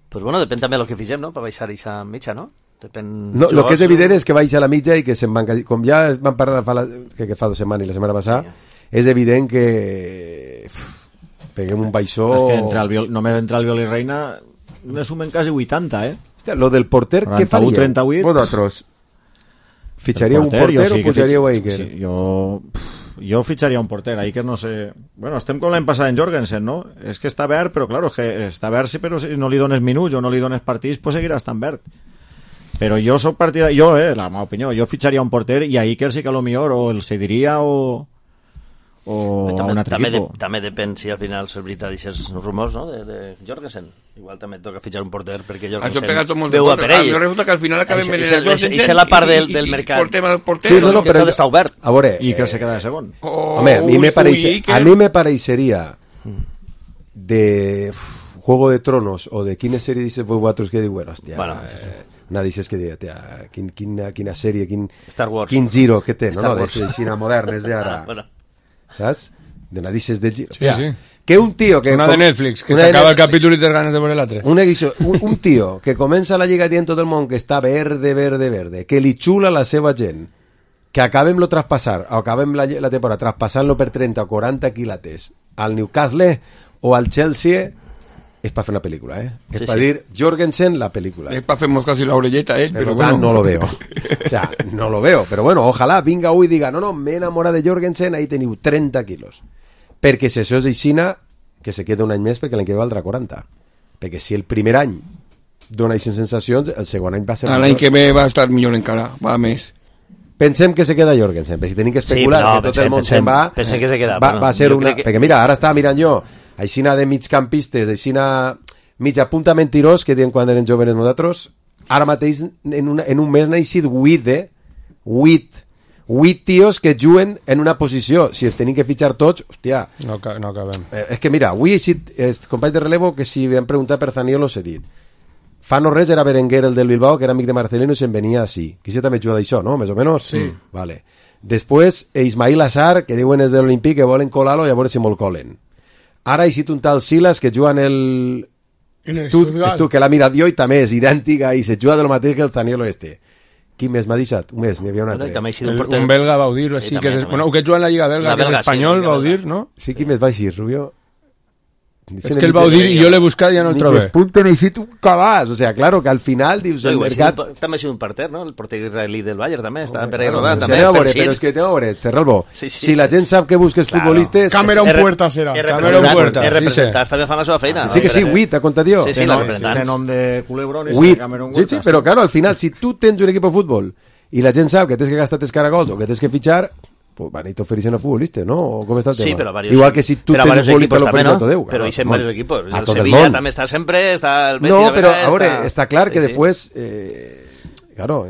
Pues bueno, depèn també del que figem, no?, per baixar aquesta mitja, no? No, el que és evident és que baixa la mitja i que se'n van... Com ja vam parlar que fa 2 setmanes i la setmana passada, és evident que... peguem un baixó... És que només entre el Viol i Reina ne sumen quasi 80, Hòstia, lo del porter, què faríeu? 38. Vosaltres fitxaríeu un porter o pujaríeu a Iker? Sí, jo fitxaria un porter. A Iker no sé... Bueno, estem com l'any passat en Jorgensen, no? És que està verd, però claro, que està verd, sí, però si no li dones minuts o no li dones partits, pues seguirà estant verd. Però jo soc partidari... la meva opinió, jo fitxaria un porter i a Iker sí que a lo millor o el cediria o a un altre equipo. També depèn si al final és veritat aquests rumors, no?, de Jorgensen. Igual també toca fitxar un porter perquè Jorgensen veu a per ell. Resulta que al final acabem venint a Jorgensen i la part del mercat. Sí, no, però tot està obert. A veure... I que se queda de segon. Home, a mi me pareixeria de Juego de Tronos o de quina sèrie dices vosaltres que diuen, hòstia... Una dices que diu, tia, quina sèrie, Star Wars. Quin giro que té, no? De xina modernes d'ara. Saps? De nadices de giro. Sí. Que un tío que... Una de Netflix, que s'acaba el capítol i tens ganes de veure l'altre. Un tío que comença la lliga dient tot el món que està verde, que li xula la seva gent, que acabem-lo traspassar, o acabem la temporada traspassant-lo per 30 o 40 quilates al Newcastle o al Chelsea, és per fer una pel·lícula, És per dir Jorgensen la pel·lícula. És per fer-nos quasi la orelleta, Pero bueno. No lo veo. O sea, no lo veo. Pero bueno, ojalá vinga avui i diga, no, m'he enamorat de Jorgensen, ahí teniu 30 quilos. Perquè si això és aixina, que se queda un any més perquè l'any que ve valdrà 40. Perquè si el primer any dona aquestes sensacions, el segon any va ser l'any que ve va estar millor encara, va més. Pensem que se queda Jorgensen, perquè si tenim que especular que tot el món se'n va, pensem que se queda, va ser una... Perquè mira, ara estava mirant jo aixina de migcampistes, aixina mig a punta mentirós que diuen quan eren jovenes nosaltres, ara mateix en un mes n'ha eixit 8 tios que juguen en una posició. Si els tenim que fitxar tots, hòstia... No acabem. És que mira, avui he eixit els companys de relevo que si vam preguntar per Zaniolo s'he dit. Fa no res era Berenguer, el del Bilbao, que era amic de Marcelino i se'n venia així. Que això també juga d'això, no? Més o menys? Sí. Vale. Després, Ismail Assar, que diuen és de l'Olimpí, que volen colar-lo i a veure si me'l colen. Ara ha eixit un tal Silas que juga en el... Tu que l'ha mirat jo i també és idèntica i se juga de lo mateix que el Zaniolo este. Qui més m'ha deixat? Un mes, n'hi havia un altre. Un belga Baudir, així, que és... Bueno, que juga en la Lliga belga, que és espanyol, Baudir, no? Sí, qui més va així, Rubio? Es que el Baudir i jo l'he buscat i ja no el trobo. Ni que es punten així un cabàs. O sea, claro, que al final dius... el mercat... També ha sigut un porter, no? El porter israelí del Bayern també, estava per ahí rodant. Però és que t'ho veure, Serralbo. Si la gent sap que busques futbolistes... Cameron Puerta serà. Cameron Puerta. Els representants també fan la seva feina. Sí que sí, 8, ha contat jo. Sí, els representants. De nom de Culebrón i Cameron Puerta. Sí, però claro, al final, si tu tens un equip de futbol i la gent sap que tens que gastar tes caragols o que tens que fitxar... Pues van a oferir a futbolistes, ¿no? ¿O cómo está el tema? Sí, pero varios. Igual que si tú tienes futbolista lo ofreces a todo Déu. Pero dicen varios equipos. El Sevilla también está siempre, está el Betis. No, pero ahora está claro que después, claro,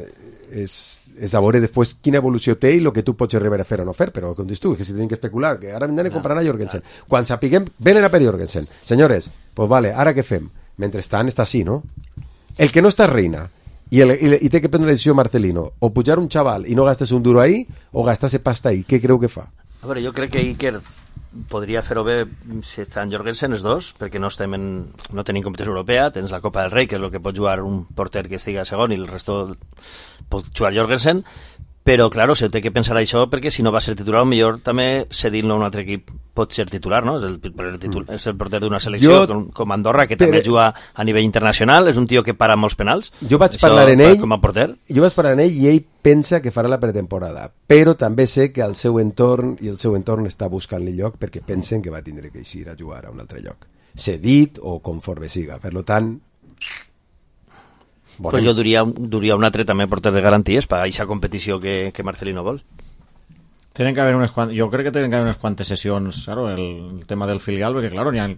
es a veure després quina evolució té i el que tu pots arribar a fer o no fer, però com dius tu, que si tenen que especular, que ara venen a comprar a Jorgensen. Quan sapiguem, venen a per Jorgensen. Senyores, pues vale, ara què fem? Mentrestant està així, no? El que no està reina i té que prendre la decisió Marcelino, o pujar un xaval i no gastes un duro ahí, o gastar-se pasta ahí. Què creu que fa? A veure, jo crec que Iker podria fer-ho bé si estan Jorgensen els dos, perquè no tenim competició europea, tens la Copa del Rei, que és el que pot jugar un porter que estiga segon i el resto pot jugar Jorgensen, però, clar, se té que pensar això perquè si no va ser titular, millor també cedint-lo a un altre equip pot ser titular, no? És el porter d'una selecció com Andorra, que també juga a nivell internacional, és un tio que para molts penals. Jo vaig parlar en ell, i ell pensa que farà la pretemporada, però també sé que el seu entorn està buscant-li lloc perquè pensen que va tindre que eixir a jugar a un altre lloc, cedit o conforme siga. Per tant, pues jo duria un altre també porter de garanties per a aquesta competició que Marcelino vol. Yo creo que tienen que haber unas cuantas sesiones, claro, el tema del filial, porque claro, ya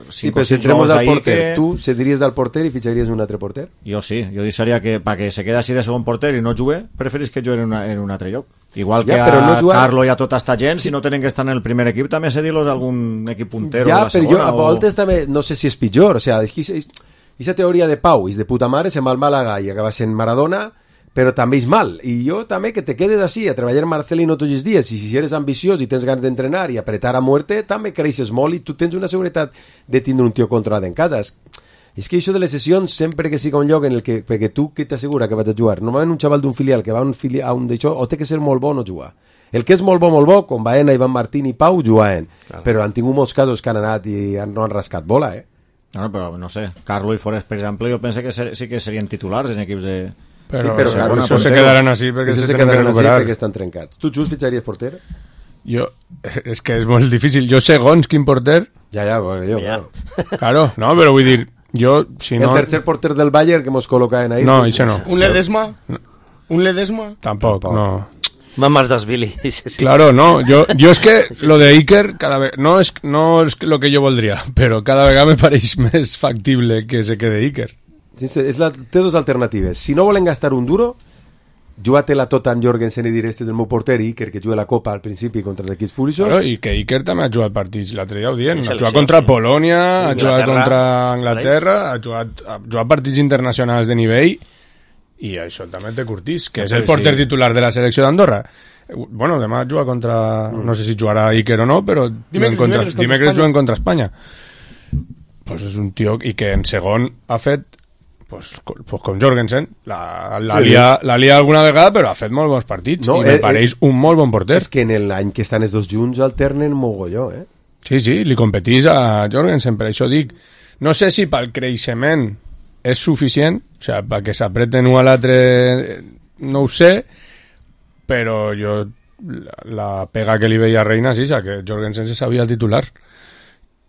sí, pero si entremos al porter, ¿tú cedirías al porter y ficharías un altre porter? Yo sí, yo diría que para que se quede así de segon porter y no jugue, preferís que jugue en un altre lloc. Igual que a Carlo y a tota esta gent, si no tenen que estar en el primer equip, també cedir-los a algun equip puntero de la segona. Ja, però jo a voltes també, no sé si és pitjor, o sea, aquesta teoria de Pau és de puta mare, se'n va al Màlaga i acaba sent Maradona, però també és mal, i jo també que te quedes així a treballar Marcelino tots els dies, i si eres ambiciós i tens ganes d'entrenar i apretar a muerte, també creixes molt i tu tens una seguretat de tindre un tio controlat en casa. És que això de les sessions, sempre que siga un lloc en el que, perquè tu que t'assegura que vas a jugar, normalment un xaval d'un filial que va a un d'això, o té que ser molt bo o no jugar. El que és molt bo, com Baena, Ivan Martín i Pau, juguen, però han tingut molts casos que han anat i no han rascat bola, No, però no sé, Carlo i Forest, per exemple, jo penso que sí que serien titulars en equips de... Però això se quedaran així perquè se tenen que recuperar. Perquè estan trencats. Tu, Xus, fitxaries porter? Jo, és que és molt difícil. Jo segons quin porter... Ja, bueno, jo. Claro, no, però vull dir, jo, si no... El tercer porter del Bayern que mos col·locaven ahí. No, això no. ¿Un Ledesma? ¿Un Ledesma? Tampoc, no. Mamás d'Asvili. Claro, no, yo es que lo de Iker cada vez no es lo que yo voldria, però cada vegada me pareix més factible que se quede Iker. Sí, té dos alternatives. Si no volen gastar un duro, juga-te-la tota amb Jorgensen i dir este és el meu porter, Iker, que juga la Copa al principi contra els equips furiosos. Claro, i que Iker també ha jugat partits, l'altre dia ho dient, ha jugat contra Polònia, ha jugat contra Anglaterra, ha jugat partits internacionals de nivell, i això també té curtís, que és el porter titular de la selecció d'Andorra. Bueno, demà juga contra... No sé si jugarà Iker o no, però dimecres juguen contra Espanya. Pues és un tio i que en segon ha fet pues com Jorgensen la lia alguna vegada, però ha fet molt bons partits, i me pareix un molt bon porter. És que en l'any que estan els dos junts alternen mogolló, Sí, li competís a Jorgensen, per això dic, no sé si pel creixement és suficient, o sigui, perquè s'apreten un a l'altre no ho sé, però jo la pega que li veia a Reina és que Jorgensen se sabia el titular,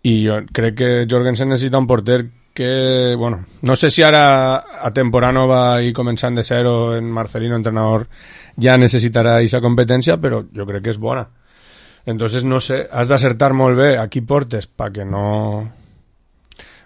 i jo crec que Jorgensen necessita un porter que, bueno, no sé si ara a temporada va ir començant de zero en Marcelino, entrenador, ja necessitarà aquesta competència, però jo crec que és bona. Entonces, no sé, has d'acertar molt bé a qui portes perquè no...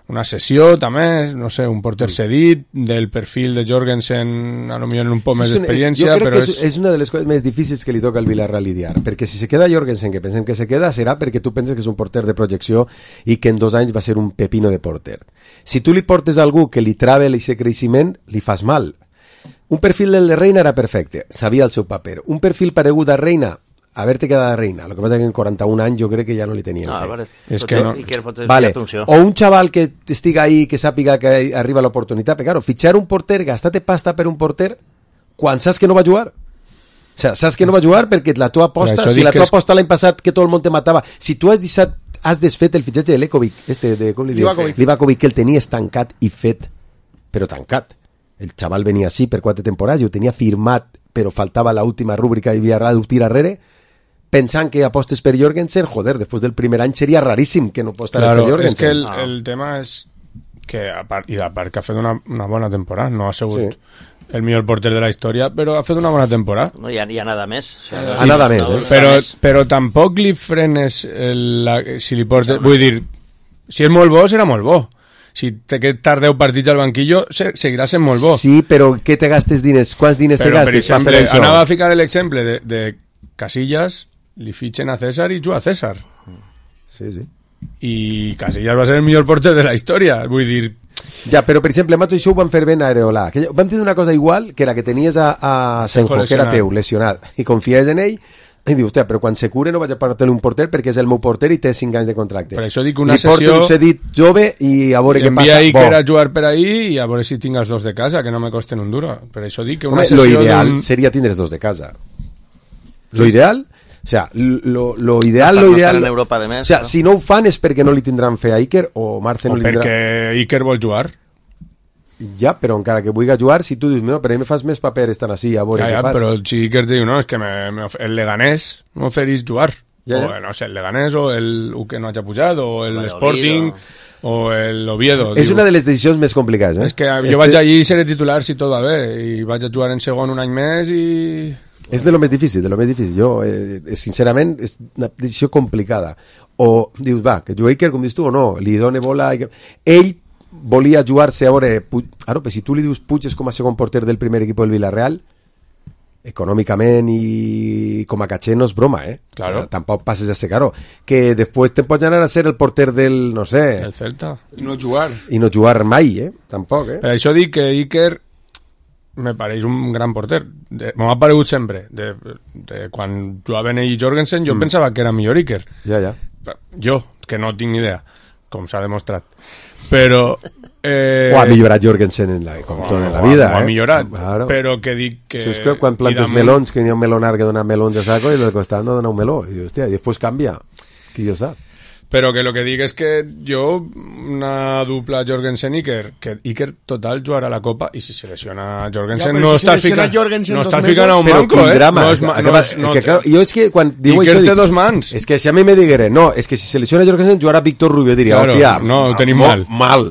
Una sessió també, no sé, un porter cedit del perfil de Jorgensen, a lo millor en un poc més d'experiència, però és una de les coses més difícils que li toca al Villarreal lidiar, perquè si se queda Jorgensen, que pensem que se queda, serà perquè tu penses que és un porter de projecció i que en 2 anys va ser un pepino de porter. Si tu li portes a algú que li trave aquest creixement, li fas mal. Un perfil del de Reina era perfecte, sabia el seu paper. Un perfil paregut a Reina, haver-te quedat a Reina, el que passa que en 41 anys jo crec que ja no li tenien fet. És que no. Vale. O un xaval que estiga ahí, que sàpiga que arriba l'oportunitat, però claro, fitxar un porter, gastar-te pasta per un porter quan saps que no va jugar. O sea, saps que no va jugar perquè la tua aposta, si la tua aposta l'any passat que tot el món te matava, si tu has desfet el fitxatge de Lekovic, com li dius? Livakovic, que el tenies tancat i fet, però tancat. El xaval venia així per 4 temporades i ho tenia firmat, però faltava l'última rúbrica i havia de tirar darrere, pensant que apostes per Jorgensen, joder, després del primer any seria raríssim que no apostares per Jorgensen. És que el tema és que, a part que ha fet una bona temporada, no ha sigut el millor porter de la història, però ha fet una bona temporada. No hi ha nada més. O sigui, nada més, però tampoc li frenes si li portes... Vull dir, si és molt bo, serà molt bo. Si té que estar 10 partits al banquillo, seguirà sent molt bo. Sí, però què te gastes diners? Quants diners te gastes? Per exemple, anava a ficar l'exemple de Casillas, li fitxen a César i juga a César. Sí. I Casillas va ser el millor porter de la història, vull dir... Ja, però per exemple, Mato, això ho van fer ben a Areola. Vam tenir una cosa igual que la que tenies a Senjo, que era teu, lesionat, i confies en ell, i dius, però quan se cure no vaig a portar-li un porter perquè és el meu porter i té 5 anys de contracte. Per això dic una sessió... Li porto un cedit jove i a veure què passa. Envia Iker a jugar per ahí i a veure si tinc els 2 de casa, que no me costen un duro. Per això dic que una sessió... Lo ideal seria tindre els 2 de casa. Lo ideal... O sea, lo ideal... No estar en Europa de més. O sea, si no ho fan és perquè no li tindran fe a Iker o Marce no li tindrà... O perquè Iker vol jugar. Ja, però encara que vulgui jugar, si tu dius, no, però a mi me fas més paper estan així, a veure què fas. Però si Iker diu, no, és que el Leganés m'oferís jugar. Ja. O, no sé, el Leganés o el que no hagi pujat, o el Sporting, o el Oviedo. És una de les decisions més complicades, És que jo vaig allí i seré titular si tot va bé, i vaig a jugar en segon un any més i... És de lo més difícil, de lo més difícil. Jo, sincerament, és una decisió complicada. O dius, va, que juga Iker, com dius tu, o no, li dona bola... Ell volia jugar-se a veure... Ara, però si tu li dius Puig és com a segon porter del primer equip del Villarreal, econòmicament i com a caché no és broma, Claro. Tampoc passes a ser caro. Que després te pots anar a ser el porter del, no sé... El Celta. I no jugar. I no jugar mai, tampoc, Per això dic que Iker me pareix un gran porter. M'ha aparegut sempre. De quan jugaven ell i Jorgensen, jo pensava que era millor Iker. Ja. Jo, que no tinc ni idea, com s'ha demostrat. Però... O ha millorat Jorgensen com tot en la vida, ha millorat, claro. Però que dic que... Això és que quan plantes melons, que n'hi ha un melonar que dona melons de saco i del costat no dona un meló. I hòstia, i després canvia. Qui jo sap? Però que lo que dic és que jo, una dupla Jorgensen-Iker, que Iker total jugarà a la Copa i si se lesiona Jorgensen no està ficant a un manco, drama, jo és que quan diu Iker això, té dos mans. És que si a mi me digueren, no, és que si se lesiona Jorgensen jugarà Víctor Rubio, diria, claro, hòstia, no, ho tenim mal.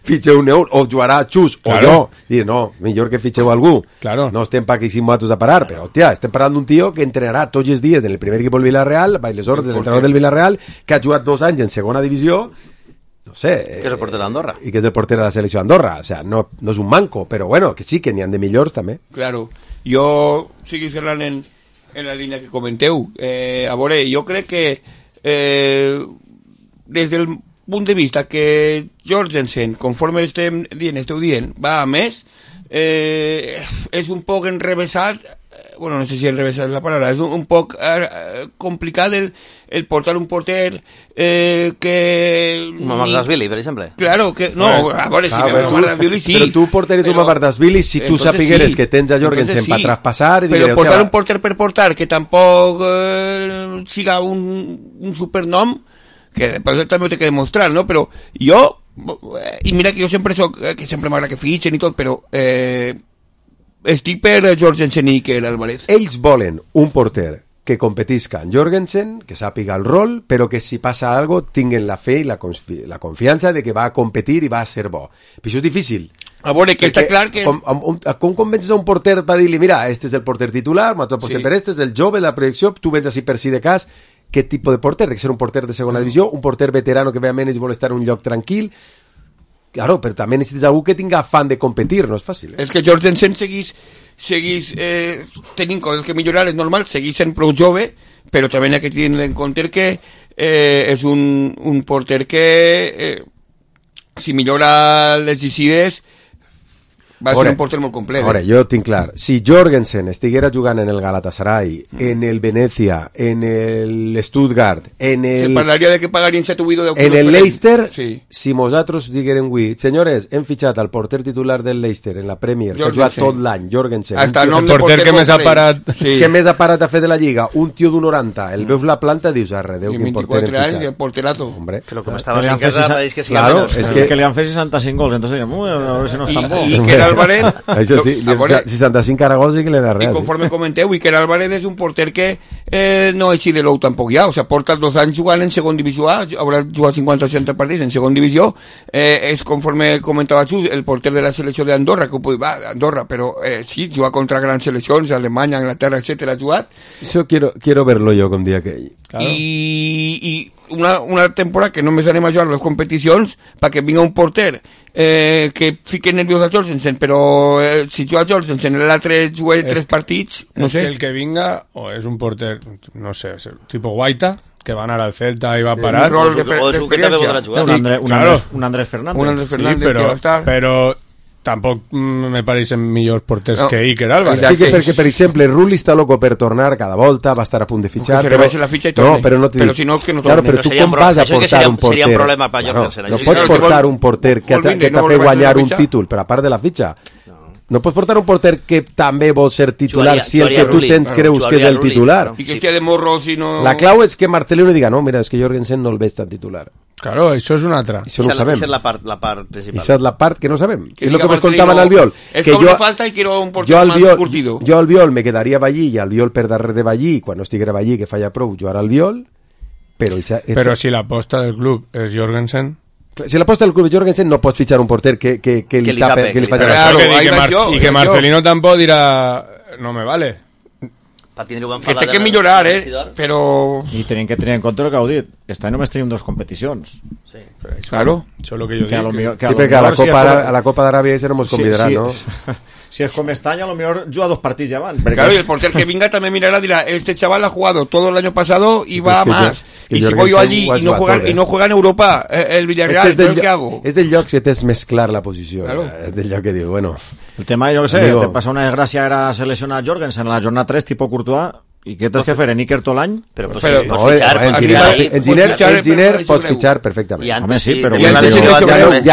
Fitxeu un euro, o jugarà Xus, claro. O jo, dir, no, millor que fitxeu algú. Claro. No estem pa aquí simulatos a parar, però, hòstia, estem parlant d'un tio que entrenarà tots els dies en el primer equip del Villarreal, baix les ordres de l'entrenador del Villarreal, que ha jugat 2 anys en segona divisió, no sé... Que és el porter d'Andorra. I que és el porter de la selecció d'Andorra. O sea, no és un manco, però bueno, que sí, que n'hi han de millors també. Claro. Jo seguís parlant en la línia que comenteu. A veure, jo crec que des del punt de vista que Jorgensen, conforme esteu dient, va a més, és un poc enrevesat, bueno, no sé si enrevesat és la paraula, és un poc complicat el portar un porter que... Mamardashvili, per exemple. Claro, que no, a veure, si Mamardashvili sí. Però tu porteres un Mamardashvili si tu sapigueres que tens a Jorgensen per traspassar... Però portar un porter per portar, que tampoc siga un supernom, que després també ho té que demostrar, no? Però jo, i mira que jo sempre soc, que sempre m'agrada que fitxen i tot, però estic per Jorgensen i Iker Álvarez. Ells volen un porter que competisca en Jorgensen, que sàpiga el rol, però que si passa algo tinguen la fe i la confiança de que va a competir i va a ser bo. Però això és difícil. A veure, que està clar que... Com convences a un porter per dir-li, mira, este és el porter titular, un altre porter per este, és el jove, la projecció, tu vens així per si de cas, què tipus de porter? De ser un porter de segona divisió, un porter veterano que ve a menys i vol estar en un lloc tranquil. Claro, però també necessites algú que tinga afán de competir, no és fàcil. És que Jorgensen seguís tenint coses que millorar, és normal, seguís sent prou jove, però també hi ha que tenir en compte que és un porter que si millora les llicides va ser un porter molt complet. Ara, jo tinc clar, si Jorgensen estiguera jugant en el Galatasaray, en el Venezia, en el Stuttgart, en el... Se parlaria de que pagarien 7 o 8 o 10 en el Leicester, sí. Si nosaltres diguérem avui, senyores, hem fitxat al porter titular del Leicester en la Premier, que ha jugat tot l'any, Jorgensen, hasta el nom de porter que més ha parat, que més ha parat a fer de la Lliga, un tio d'un 90, el veus la planta, dius, arredeu, quin porter hem fitxat. I porterazo. Hombre, que lo que m'estava sin casa, pareix que sí. Claro, és que li han fet 65 gols, entonces a veure si no és tan bo. I que Álvarez, això sí, 65 caragols i que le da res. I conforme comenteu, Iker Álvarez és un porter que no és xilelou tampoc ja, o sea, porta 2 anys jugant en segon divisió A, haurà jugat 50-60 partits en segon divisió, és conforme comentava Xus, el porter de la selecció d'Andorra, que va, Andorra, però sí, juga contra grans seleccions, Alemanya, Anglaterra, etcètera, ha jugat. Eso quiero verlo yo con dia que ell. Claro. I una temporada que només anem a jugar les competicions perquè vinga un porter que fique nerviós a Jorgensen, però si juga Jorgensen l'altre juga 3 partits, no sé. El que vinga o és un porter, no sé, tipo Guaita, que va anar al Celta i va parar. Un rol d'experiència. Un Andrés Fernández. Un Andrés Fernández, sí, però tampoc me pareixen millors porters que Iker Álvarez. Sí, que perquè, per exemple, Rulli està loco per tornar cada volta, va estar a punt de fitxar, però la fitxa i torne. No, però no però si no, que no torne. Claro, però tu com vas a portar un porter? Seria un problema per Jorgensen. No pots portar un porter que t'ha fet guanyar un títol, però a part de la fitxa. No pots portar un porter que també vol ser titular si el que tu tens creus que és el titular. I que estia de morro si no... La clau és que Marcelino diga, no, mira, és que Jorgensen no el veig tan titular. Claro, això és una altra. Això no ho sabem. Això és la part principal. Això és la part que no sabem. Que és el que diga ens contava en Marcelino, Albiol. es Que que me falta y quiero un porter más curtido. Jo Albiol me quedaria Ballí i Albiol per darrere de Ballí, quan no estiguera Ballí, que falla prou, jugar Albiol, però si l'aposta del club és Jorgensen... Si l'aposta del club és Jorgensen, no pots fitxar un porter que li tape, que li faci I que Marcelino tampoc dirà no me vale. Que té que millorar, però... I tenim que tenir en compte el que heu dit. Este any només tenim 2 competicions. Sí. Claro. Això és el que jo dic. Sí, perquè a la Copa d'Aràbia ese no ens convidarà, no? Si es com este any, a lo mejor juga 2 partits ja van. Claro, y el porter que venga también mirará, dirá, este chaval ha jugado todo el año pasado y va más. Y si voy yo allí y no juega en Europa el Villarreal, ¿qué hago? És del lloc que tens més clar la posició. És del lloc que diu, bueno... El tema, jo què sé, te passa una desgràcia, era seleccionar Jorgensen a la jornada 3, tipo Courtois, i què tens que fer, en Iker tot l'any? Però en Giner pots fitxar perfectament. Home, sí, però ja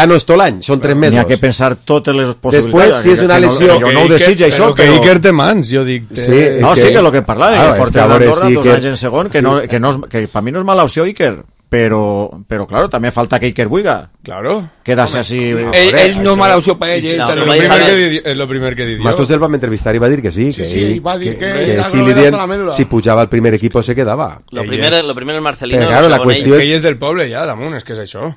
no és tot l'any, són 3 mesos. N'hi ha que pensar totes les possibilitats. Després, si és una lesió... Jo no ho desitja, això, però... Que Iker té mans, jo dic... No, sí, que el que parlava, el porter d'Andorra, 2 anys en segon, que per mi no és mala opció Iker, però claro, també falta que Iker Buiga. Claro. Quedarse así... Ell no és mala opció per ell. És el primer que dic jo. Matos el vam entrevistar i va dir que sí. Sí, va dir que si pujava al primer equipo se quedava. Lo primero es Marcelino. Però claro, la qüestió és... Ell és del poble ja, damunt, és que és això.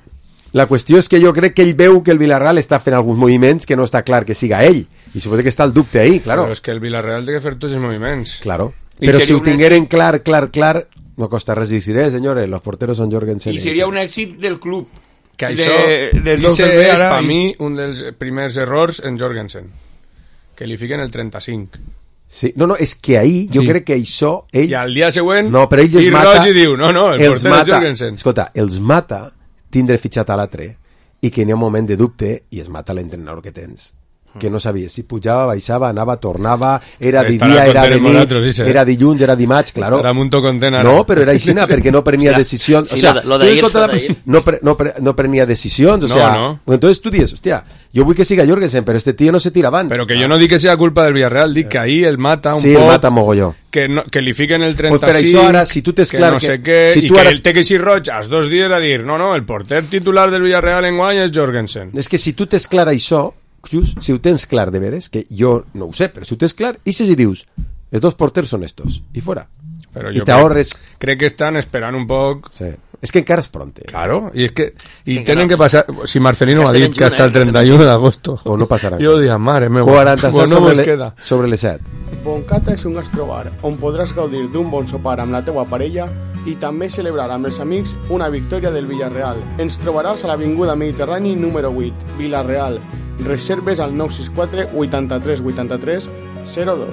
La qüestió és que jo crec que ell veu que el Villarreal està fent alguns moviments que no està clar que siga ell. I suposo que està el dubte ahí, claro. Però és que el Villarreal té que fer tots els moviments. Claro. Però si ho tingueren clar, no costa res dir, senyores, los porteros son Jorgensen. I seria un èxit del club. Que això és, per mi, un dels primers errors en Jorgensen. Que li fiquen el 35. Sí, no, és que ahir jo crec que això ells... I al dia següent, no, però ells mata, i diu, no, el porter és Jorgensen. Escolta, els mata tindre fitxat a l'altre i que n'hi ha un moment de dubte i es mata l'entrenador que tens. Que no sabia si pujava, baixava, anava, tornava, era de dia, era de nit, era dilluns, era dimarts, claro. No, però era aixina, perquè no prenia decisions. Sí, lo de ir. No prenia decisions, o sea, entonces tu dius, hostia, jo vull que siga Jorgensen, però este tío no se tira avant. Però que jo no dic que sea culpa del Villarreal, dic que ahí el mata un poc. Sí, el mata mogolló. Que li fiquen el 35, pues per això ara, si tu tens clar no sé què, i que el té que ser roig als 2 dies a dir, no, el porter titular del Villarreal enguany és Jorgensen. És que si tu tens clar això, just, si ho tens clar de veres, que jo no ho sé, però si ho tens clar, i si dius, els 2 porters són estos, i fora. Però i t'ahorres... Crec que estan esperant un poc... Sí. És que encara és pronte. Claro, y es que tienen que pasar... Si Marcelino ha dit que hasta el 31 d'agosto... O no passarà. Jo diria, mare meva, 47 sobre les 7. Boncata és un gastrobar on podràs gaudir d'un bon sopar amb la teua parella i també celebrar amb els amics una victòria del Villarreal. Ens trobaràs a l'Avinguda Mediterrani número 8, Villarreal. Reserves al 964 83 83 02.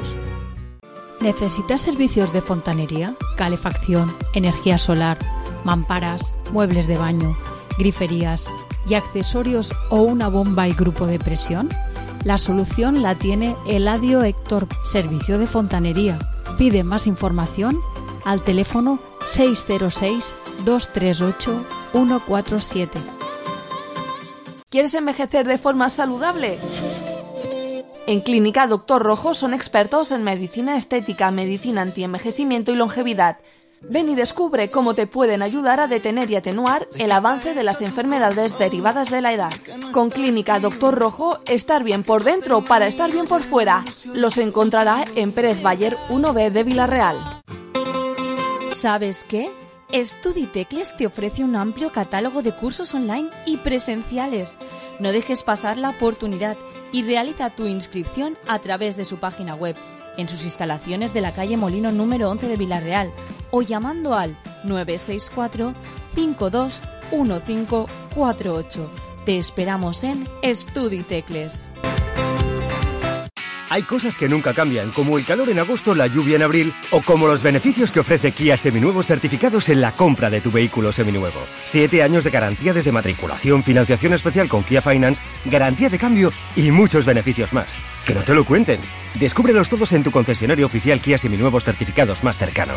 ¿Necesitas servicios de fontanería, calefacción, energía solar, mamparas, muebles de baño, griferías y accesorios o una bomba y grupo de presión? La solución la tiene Eladio Héctor, Servicio de Fontanería. Pide más información al teléfono 606-238-147. ¿Quieres envejecer de forma saludable? En Clínica Doctor Rojo son expertos en medicina estética, medicina antienvejecimiento y longevidad. Ven y descubre cómo te pueden ayudar a detener y atenuar el avance de las enfermedades derivadas de la edad. Con Clínica Doctor Rojo, estar bien por dentro para estar bien por fuera. Los encontrará en Pérez Bayer 1B de Villarreal. ¿Sabes qué? Estuditecles te ofrece un amplio catálogo de cursos online y presenciales. No dejes pasar la oportunidad y realiza tu inscripción a través de su página web, en sus instalaciones de la calle Molino número 11 de Villarreal o llamando al 964 521548. Te esperamos en Estuditecles. Hay cosas que nunca cambian, como el calor en agosto, la lluvia en abril, o como los beneficios que ofrece Kia Seminuevos certificados en la compra de tu vehículo seminuevo. 7 años de garantía desde matriculación, financiación especial con Kia Finance, garantía de cambio y muchos beneficios más. Que no te lo cuenten. Descúbrelos todos en tu concesionario oficial Kia Seminuevos certificados más cercano.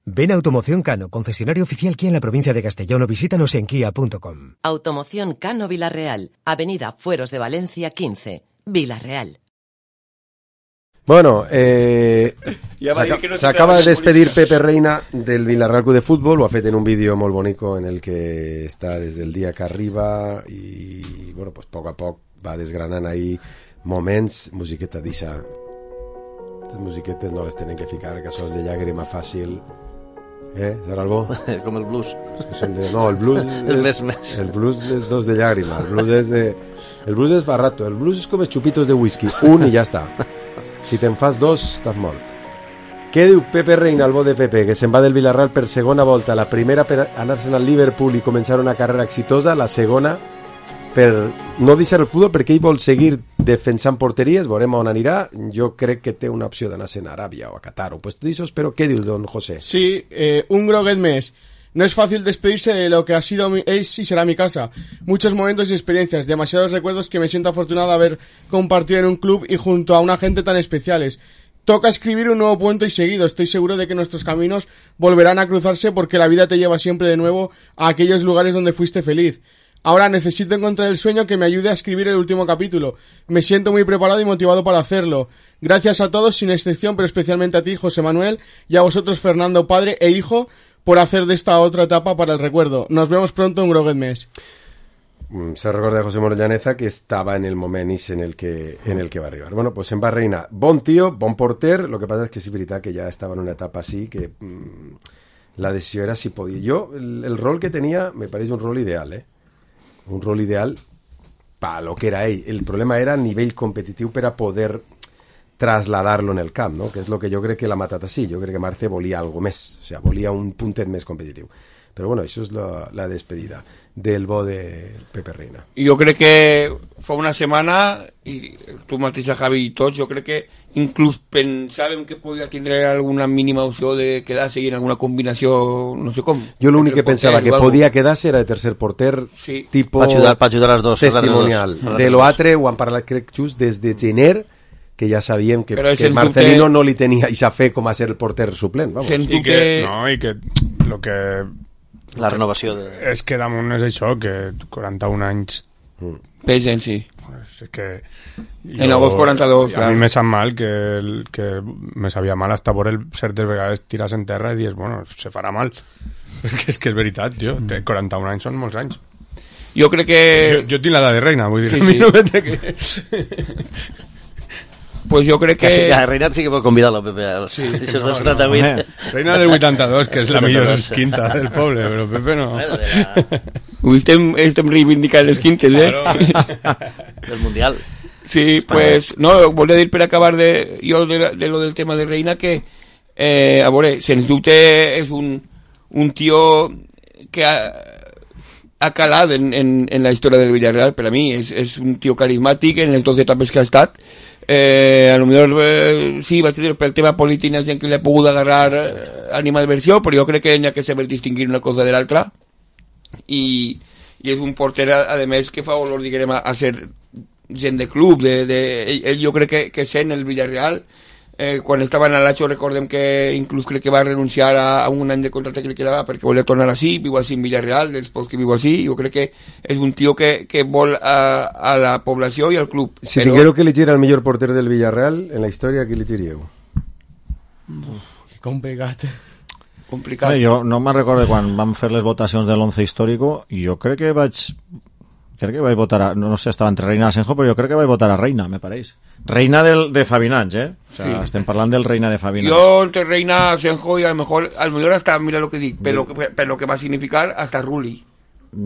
Ven a Automoción Cano, concesionario oficial Kia en la provincia de Castellón, o visítanos en kia.com. Automoción Cano Villarreal, Avenida Fueros de Valencia 15, Villarreal. Bueno, s'acaba de despedir Pepe Reina del Villarreal Club de Futbol, ho ha fet en un vídeo molt bonico en el que està des del dia que arriba i, bueno, pues poc a poc va desgranant ahí moments, musiqueta d'Issa. Les musiquetes no les tenen que ficar, que sos de llàgrima fàcil. Serà el bo? Com el blues. No, el blues el blues és dos de llàgrima, el blues és barato, el blues és com els xupitos de whisky, un i ja està. Si te'n fas dos, estàs mort. Què diu Pepe Reina, el bo de Pepe, que se'n va del Villarreal per segona volta, la primera per anar-se'n al Liverpool i començar una carrera exitosa, la segona per no deixar el futbol perquè ell vol seguir defensant porteries, veurem on anirà. Jo crec que té una opció d'anar-se'n a Aràbia o a Qatar o puestos d'esos, però què diu don José? Sí, un groguet més. No es fácil despedirse de lo que ha sido es y será mi casa. Muchos momentos y experiencias, demasiados recuerdos que me siento afortunado de haber compartido en un club y junto a una gente tan especiales. Toca escribir un nuevo puente y seguido. Estoy seguro de que nuestros caminos volverán a cruzarse porque la vida te lleva siempre de nuevo a aquellos lugares donde fuiste feliz. Ahora necesito encontrar el sueño que me ayude a escribir el último capítulo. Me siento muy preparado y motivado para hacerlo. Gracias a todos, sin excepción, pero especialmente a ti, José Manuel, y a vosotros, Fernando, padre e hijo, por hacer de esta otra etapa para el recuerdo. Nos vemos pronto en Groguet Més. Se recorda de José Manuel Llaneza que estaba en el moment en el que va arribar. Bueno, pues en va Reina, bon tío, bon porter, lo que pasa es que sí es veritat que ya estaba en una etapa así que la decisió era si podia. Yo, el rol que tenía me parece un rol ideal, un rol ideal para lo que era ell. El problema era el nivell competitiu per a poder trasladar-lo en el camp, no? Que és el que jo crec que l'ha matat així. Jo crec que Marce volia algo més, o sea, volia un puntet més competitiu. Però bueno, això és la despedida del bo de Pepe Reina. Jo crec que fa una setmana, i tu mateixa, Javi, i tots, jo crec que inclús pensàvem que podia tindre alguna mínima opció de quedar-se en alguna combinació, no sé com. Jo l'únic que pensava que podia quedar-se era de tercer porter, sí, tipo pa ajudar les dos, testimonial. De l'altre ho han parlat, crec, just des de gener, que ja sabíem que Marcelino no li tenia i fe com a ser el porter suplent. Vamos. I que lo que la renovació és que damunt és això, que 41 anys pesen, sí. Pues és que en agost 42, a mi me sap mal que me sabia mal hasta por el certes vegades tiras en terra i dius, bueno, se farà mal, perquè és que és veritat, tio, 41 anys són molts anys. Jo crec que jo tinc l'edat de Reina, vull dir, sí, a mi no me té que pues jo crec que... A Reina sí que pot convidar-lo, Pepe, als del 78. Reina del 82, que és la millor quinta del poble, però Pepe no. Avui estem reivindicant les quintes, Del Mundial. Sí, pues, no, volia dir per acabar de lo del tema de Reina que, a veure, sens dubte és un tio que ha calat en la història del Villarreal. Per a mi és un tio carismàtic en les 2 etapes que ha estat. A lo millor sí, va ser pel tema polític gent que li ha pogut agarrar animadversió, però jo crec que n'hi ha que saber distingir una cosa de l'altra i és un porter a més que fa olor, diguem, a ser gent de club ell jo crec que sent el Villarreal. Quan estava en l'Acho recordem que inclús crec que va renunciar a un any de contracte que li quedava perquè volia tornar així, viu així en Villarreal, després que viu així. Jo crec que és un tio que vol a la població i al club. Si tinguéreu que elegir el millor porter del Villarreal en la història, qui elegiríeu? Que complicat. Jo no me'n recordo quan vam fer les votacions de l'11 històrico i jo crec que vaig votar no sé, estava entre Reina i Asenjo, però jo crec que vaig votar a Reina, me pareix. Reina de Fabinats, o sea, sí. Estem parlant del Reina de Fabinats. Jo entre Reina, Asenjo i a lo mejor hasta, mira lo que dic, per lo que va significar hasta Rulli,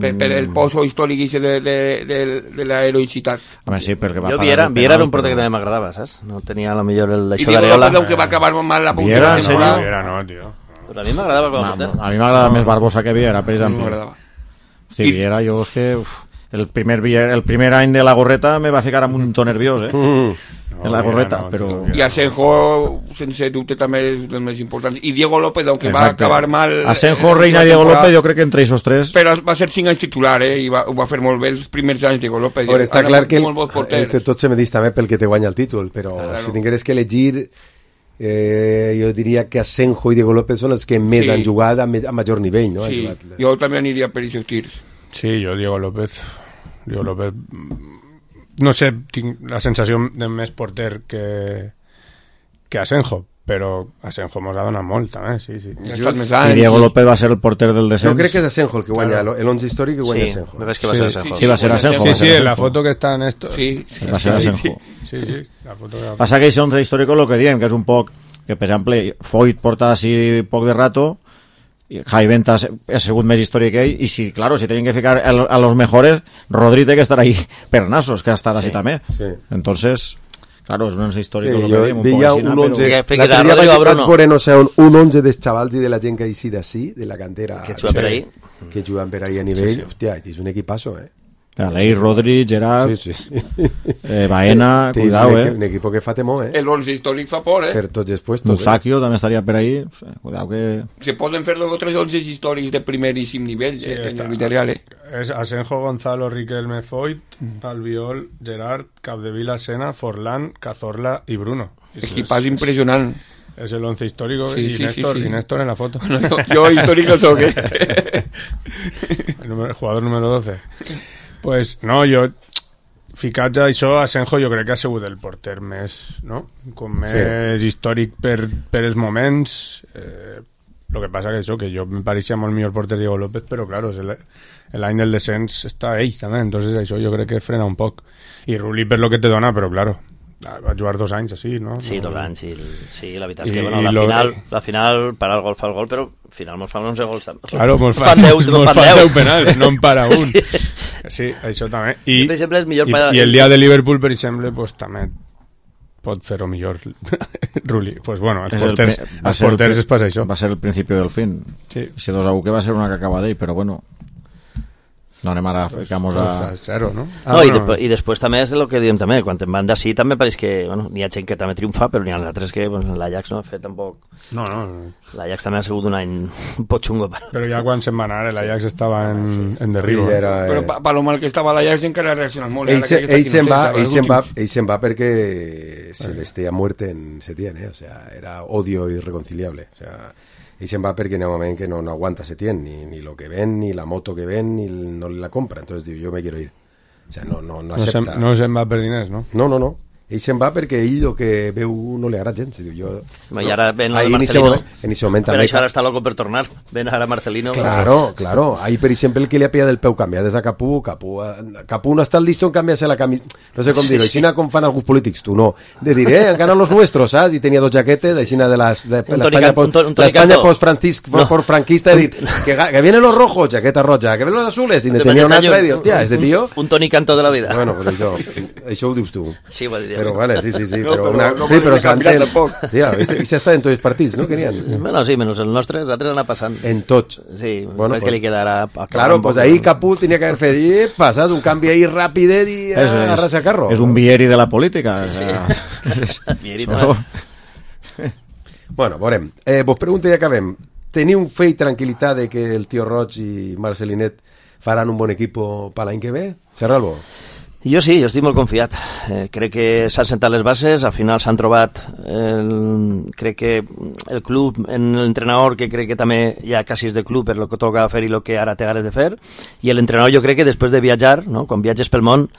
per el pozo històric de la heroïcitat. Home, sí, perquè va jo Viera era un porter que també m'agradava, saps? No tenia a lo millor l'això d'Areola. I digo, que va acabar mal la punta. Viera no, tio. Però a mi m'agradava com a porter. A mi m'agradava més Barbosa que Viera, per exemple. Hosti, Viera, jo és que... El primer any de la gorreta me va ficar amb un to nerviós, en la gorreta, però... I Asenjo, sense dubte, també és dels més importants. I Diego López, aunque va acabar mal... Asenjo, Reina i Diego López, jo crec que entre esos tres... Però va ser 5 anys titular, i ho va fer molt bé els primers anys Diego López. Però està clar que tot se me dis també pel que te guanya el títol, però si tingueres que elegir... jo diria que Asenjo i Diego López són els que més han jugat a major nivell, no? Sí, jo també aniria per aquests tirs. Sí, jo Diego López no sé, tinc la sensació de més porter que que Asenjo, però Asenjo mos ha donat molt també, sí. I Diego López va ser el porter del descens. Jo crec que és Asenjo el que guanya, l'11 històric que guanya Asenjo. Ves que va ser Asenjo. Sí, va ser Asenjo. Sí, la foto que està en esto. Sí, va ser Asenjo. Sí, la foto que... Passa que això 11 històric el que diem, que és un poc, que per exemple, Foyt porta així poc de rato, Jai Venta ha sigut més històric que ell, i si tenen que ficar a los mejores, Rodri té que estar ahí per Nasos, que ha estat així també. Entonces... Claro, és una història que jo veia un 11 l'altre dia vaig veure, no sé, un 11 dels xavals i de la gent que ha eixit d'ací, de la cantera que juguen per ahí, que juguen per ahí a nivell, hòstia, és un equipazo, Aleix, Rodri, Gerard, Baena, cuidado, un equipo que fa temor, El 11 històric fa por, per tots els puestos. Musakio també estaria per ahí, cuidado que... Se poden fer dos o tres 11 històrics de primeríssim nivell en el Villarreal, És Asenjo, Gonzalo, Riquelme, Foyt, Albiol, Gerard, Capdevila, Sena, Forlán, Cazorla i Bruno. Equipàs impressionant. És el 11 històrico i Néstor en la foto. Jo històric no soc, El jugador número 12. Pues no, jo ficats a això, Asenjo jo crec que ha sigut el porter més, no? Com més històric per els moments. Lo que passa que això, que jo me pareixia molt millor porter Diego López, però claro, l'any del descens està ell també, entonces això jo crec que frena un poc. I Rulli per lo que te dona, però claro, va jugar 2 anys així, no? Sí, 2 anys, sí, la veritat és que bueno, la final para el gol fa el gol, però al final mos fan 11 gols també. Claro, mos fan 10 penals, no en para un. Sí, això també. I el dia de Liverpool, per exemple, pues també pot fer-ho millor Rulli. Pues bueno, als porters es passa això. Va ser el principi del fin. Sí. Si 2-1 que va ser una cacaba d'ell, però bueno, no anem ara a ficamos a... Zero, no? I després també és el que diem també, quan en van d'ací també pareix que, bueno, n'hi ha gent que també triomfa, però n'hi ha altres que, bueno, l'Ajax no ha fet tampoc... No. L'Ajax també ha sigut un any un poc xungo. Però ja quan se'n va anar, l'Ajax estava en derribo. Però per lo mal que estava l'Ajax encara ha reaccionat molt. Ell se'n va perquè se le esté a muerte en Setién, o sea, era odio irreconciliable, o sea... I se'n va perquè en un moment que no aguanta Setién, ni lo que ven, ni la moto que ven, ni no la compra. Entonces diu, yo me quiero ir. O sea, no acepta. No se'n va per diners, no? No. Ell se'n va perquè ell el que veu no li agrada gens. I ara ven el Marcelino. En ese moment però això ara està loco per tornar. Ven ara Marcelino. Claro. Ahí, per exemple, el que li ha pillat del peu canviar des de Capú no està listo en canviar-se la camisa. No sé com dir-ho. Aixina com fan alguns polítics, tu no. De dir, han ganat los nuestros, ¿sabes? Y tenía 2 jaquetes, aixina de la España post-franquista, de dir, que vienen los rojos, jaqueta roja, que vienen los azules, y tenía una altra, y hòstia, este tío... Un Toni Cantó de la vida. Bueno, pues això ho dius tu. Sí, ho dir. Pero vale, sí. Pero Santel... Tía, i s'està en tots els partits, no? Bueno, sí, menys els nostres, els altres anar passant. En tots. Sí, bueno, que li quedarà... Claro, pues ahí Capú tenía que haber fet, passat un canvi ahí ràpid i agarrar-se a carro. És un Vieri de la política. Vieri també. Bueno, veurem. Vos pregunto i acabem. Teniu fe i tranquil·litat de que el tio Roig i Marcelinet faran un bon equip per l'any que ve? Serralbo? Jo sí, jo estic molt confiat. Crec que s'han sentat les bases, al final s'han trobat crec que el club, en l'entrenador, que crec que també ja quasi és de club per lo que toca fer i el que ara té ganes de fer, i l'entrenador jo crec que després de viatjar, no? Quan viatges pel món,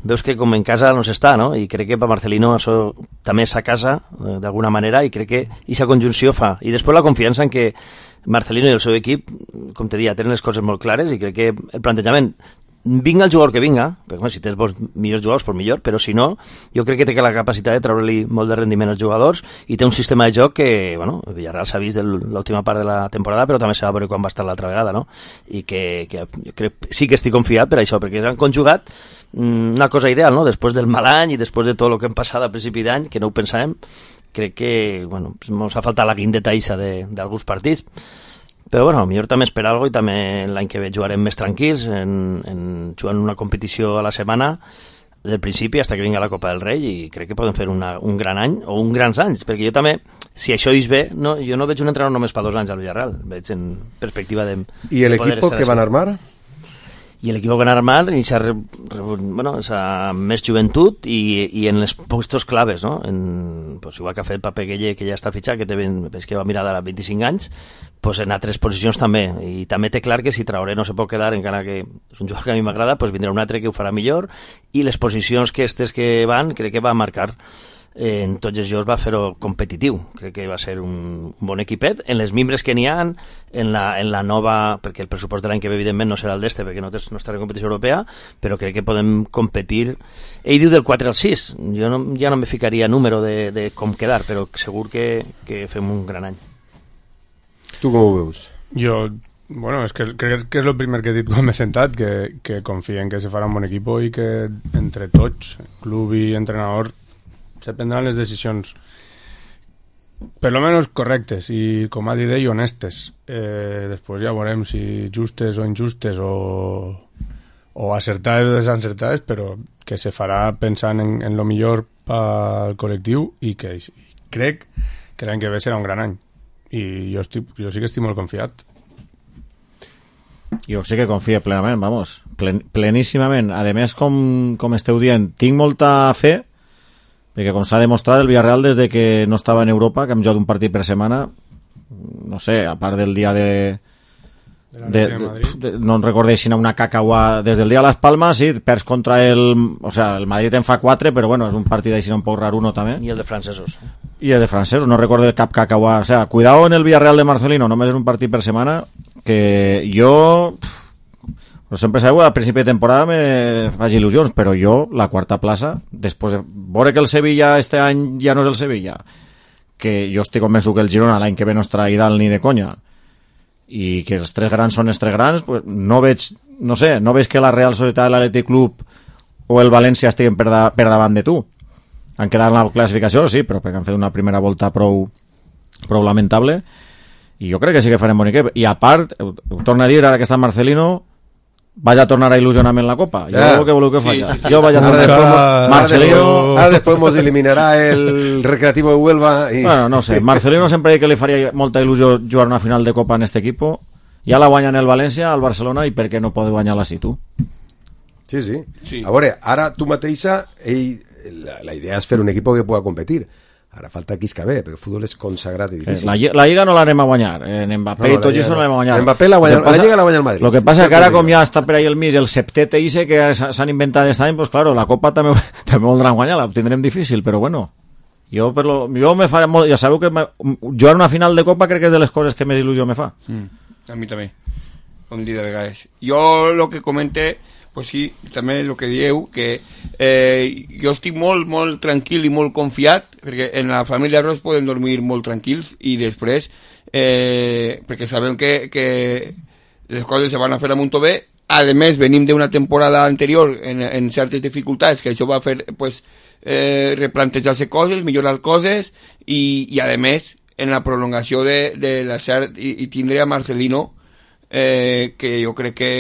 veus que com en casa no s'està, no? I crec que per Marcelino això també és a casa, d'alguna manera, i crec que aquesta conjunció fa. I després la confiança en que Marcelino i el seu equip, com te dia, tenen les coses molt clares, i crec que el plantejament vinga el jugador que vinga, perquè si tens millors jugadors, pues millor, però si no, jo crec que té la capacitat de treure-li molt de rendiment als jugadors i té un sistema de joc que, bueno, el Villarreal s'ha vist l'última part de la temporada, però també s'ha de veure quan va estar l'altra vegada, no? I que jo crec, sí que estic confiat per això, perquè han conjugat una cosa ideal, no? Després del mal any i després de tot el que hem passat a principi d'any, que no ho pensàvem, crec que, bueno, ens ha faltat la guindeta ixa d'alguns partits, però bueno, millor també esperar alguna cosa i també l'any que ve jugarem més tranquils, jugant una competició a la setmana del principi fins que vingui la Copa del Rei, i crec que podem fer un gran any o uns grans anys, perquè jo també, si això és bé, no, jo no veig un entrenador només per 2 anys al Villarreal, veig en perspectiva de... I l'equip que van armar? I l'equip que van armar s'ha més joventut i en els puestos claves, no? Pues igual que ha fet Pape Gueye, que ja està fitxat, que va mirar de 25 anys, pues en altres posicions també, i també té clar que si Traoré no se pot quedar, encara que és un jugador que a mi m'agrada, pues vindrà un altre que ho farà millor, i les posicions que van crec que va marcar en tots els jocs va fer-ho competitiu. Crec que va ser un bon equipet en les mimbres que n'hi ha, en la nova, perquè el pressupost de l'any que ve evidentment no serà el d'este perquè no estarà en competició europea, però crec que podem competir. Ell diu del 4 al 6, jo ja no me ficaria número de com quedar, però segur que fem un gran any. Tu com ho veus? Jo, bueno, és que crec que és el primer que he dit quan m'he sentat, que confien que se farà un bon equip i que entre tots, club i entrenador, se prendran les decisions per lo menos correctes i, com ha dit ell, honestes. Després ja veurem si justes o injustes o acertades o desencertades, però que se farà pensant en lo millor pel col·lectiu i que crec que l'any que ve serà un gran any i jo sí que estic molt confiat. Jo sí que confio plenament, vamos, pleníssimament. A més, com esteu dient, tinc molta fe perquè com s'ha demostrat el Villarreal des de que no estava en Europa, que hem jugat un partit per setmana, no sé, a part del dia no en recordeixin una cacaua des del dia de Las Palmas, sí, perds contra el Madrid en fa 4, però bueno, és un partit així un poc raruno també. I el de francesos. No recordo cap cacaua, cuidado en el Villarreal de Marcelino, només és un partit per setmana, que jo sempre sabeu, a principi de temporada me faig il·lusions, però jo, la quarta plaça, després de veure que el Sevilla este any ja no és el Sevilla, que jo estic convençut que el Girona l'any que ve no estarà dalt ni de conya, i que els tres grans són els tres grans, pues no veig que la Real Societat, l'Atlètic Club o el València estiguen per davant de tu. Han quedat en la classificació, sí, però perquè han fet una primera volta prou lamentable, i jo crec que sí que farem bon equip. I a part, ho torno a dir, ara que està Marcelino, vaig a tornar a il·lusionar-me en la Copa. Jo què voleu que faci? Jo vaig a tornar Marcelino. Ara després nos eliminarà el Recreativo de Huelva y... Bueno, no sé, Marcelino sempre que li faria molta il·lusió jugar una final de Copa en este equipo. Ja la guanyen el València, el Barcelona, i per què no pot guanyar-la si tu? Sí. A veure, ara tu mateixa, la idea és fer un equip que pueda competir. Ara falta qui es que ve, perquè el futbol és consagrat i difícil. La Lliga no l'anem a guanyar. En Mbappé i tot això no l'anem a guanyar. Mbappé la Lliga la guanya el Madrid. Lo que passa que ara, com ja està per ahí el mig, el septet ese que s'han inventat aquest any, pues claro, la Copa també voldran guanyar, la tindrem difícil, però bueno. Jo me faré molt... Ja sabeu que jugar una final de Copa crec que és de les coses que més il·lusió me fa. A mi també, com dir de vegades. Jo lo que comenté, pues sí, també el que dieu, que jo estic molt tranquil i molt confiat, perquè en la família Ros podem dormir molt tranquils, i després, perquè sabem que les coses se van a fer a molt bé. A més, venim d'una temporada anterior en certes dificultats, que això va fer pues, replantejar-se coses, millorar coses, i a més, en la prolongació de la CERT i tindré a Marcelino, que jo crec que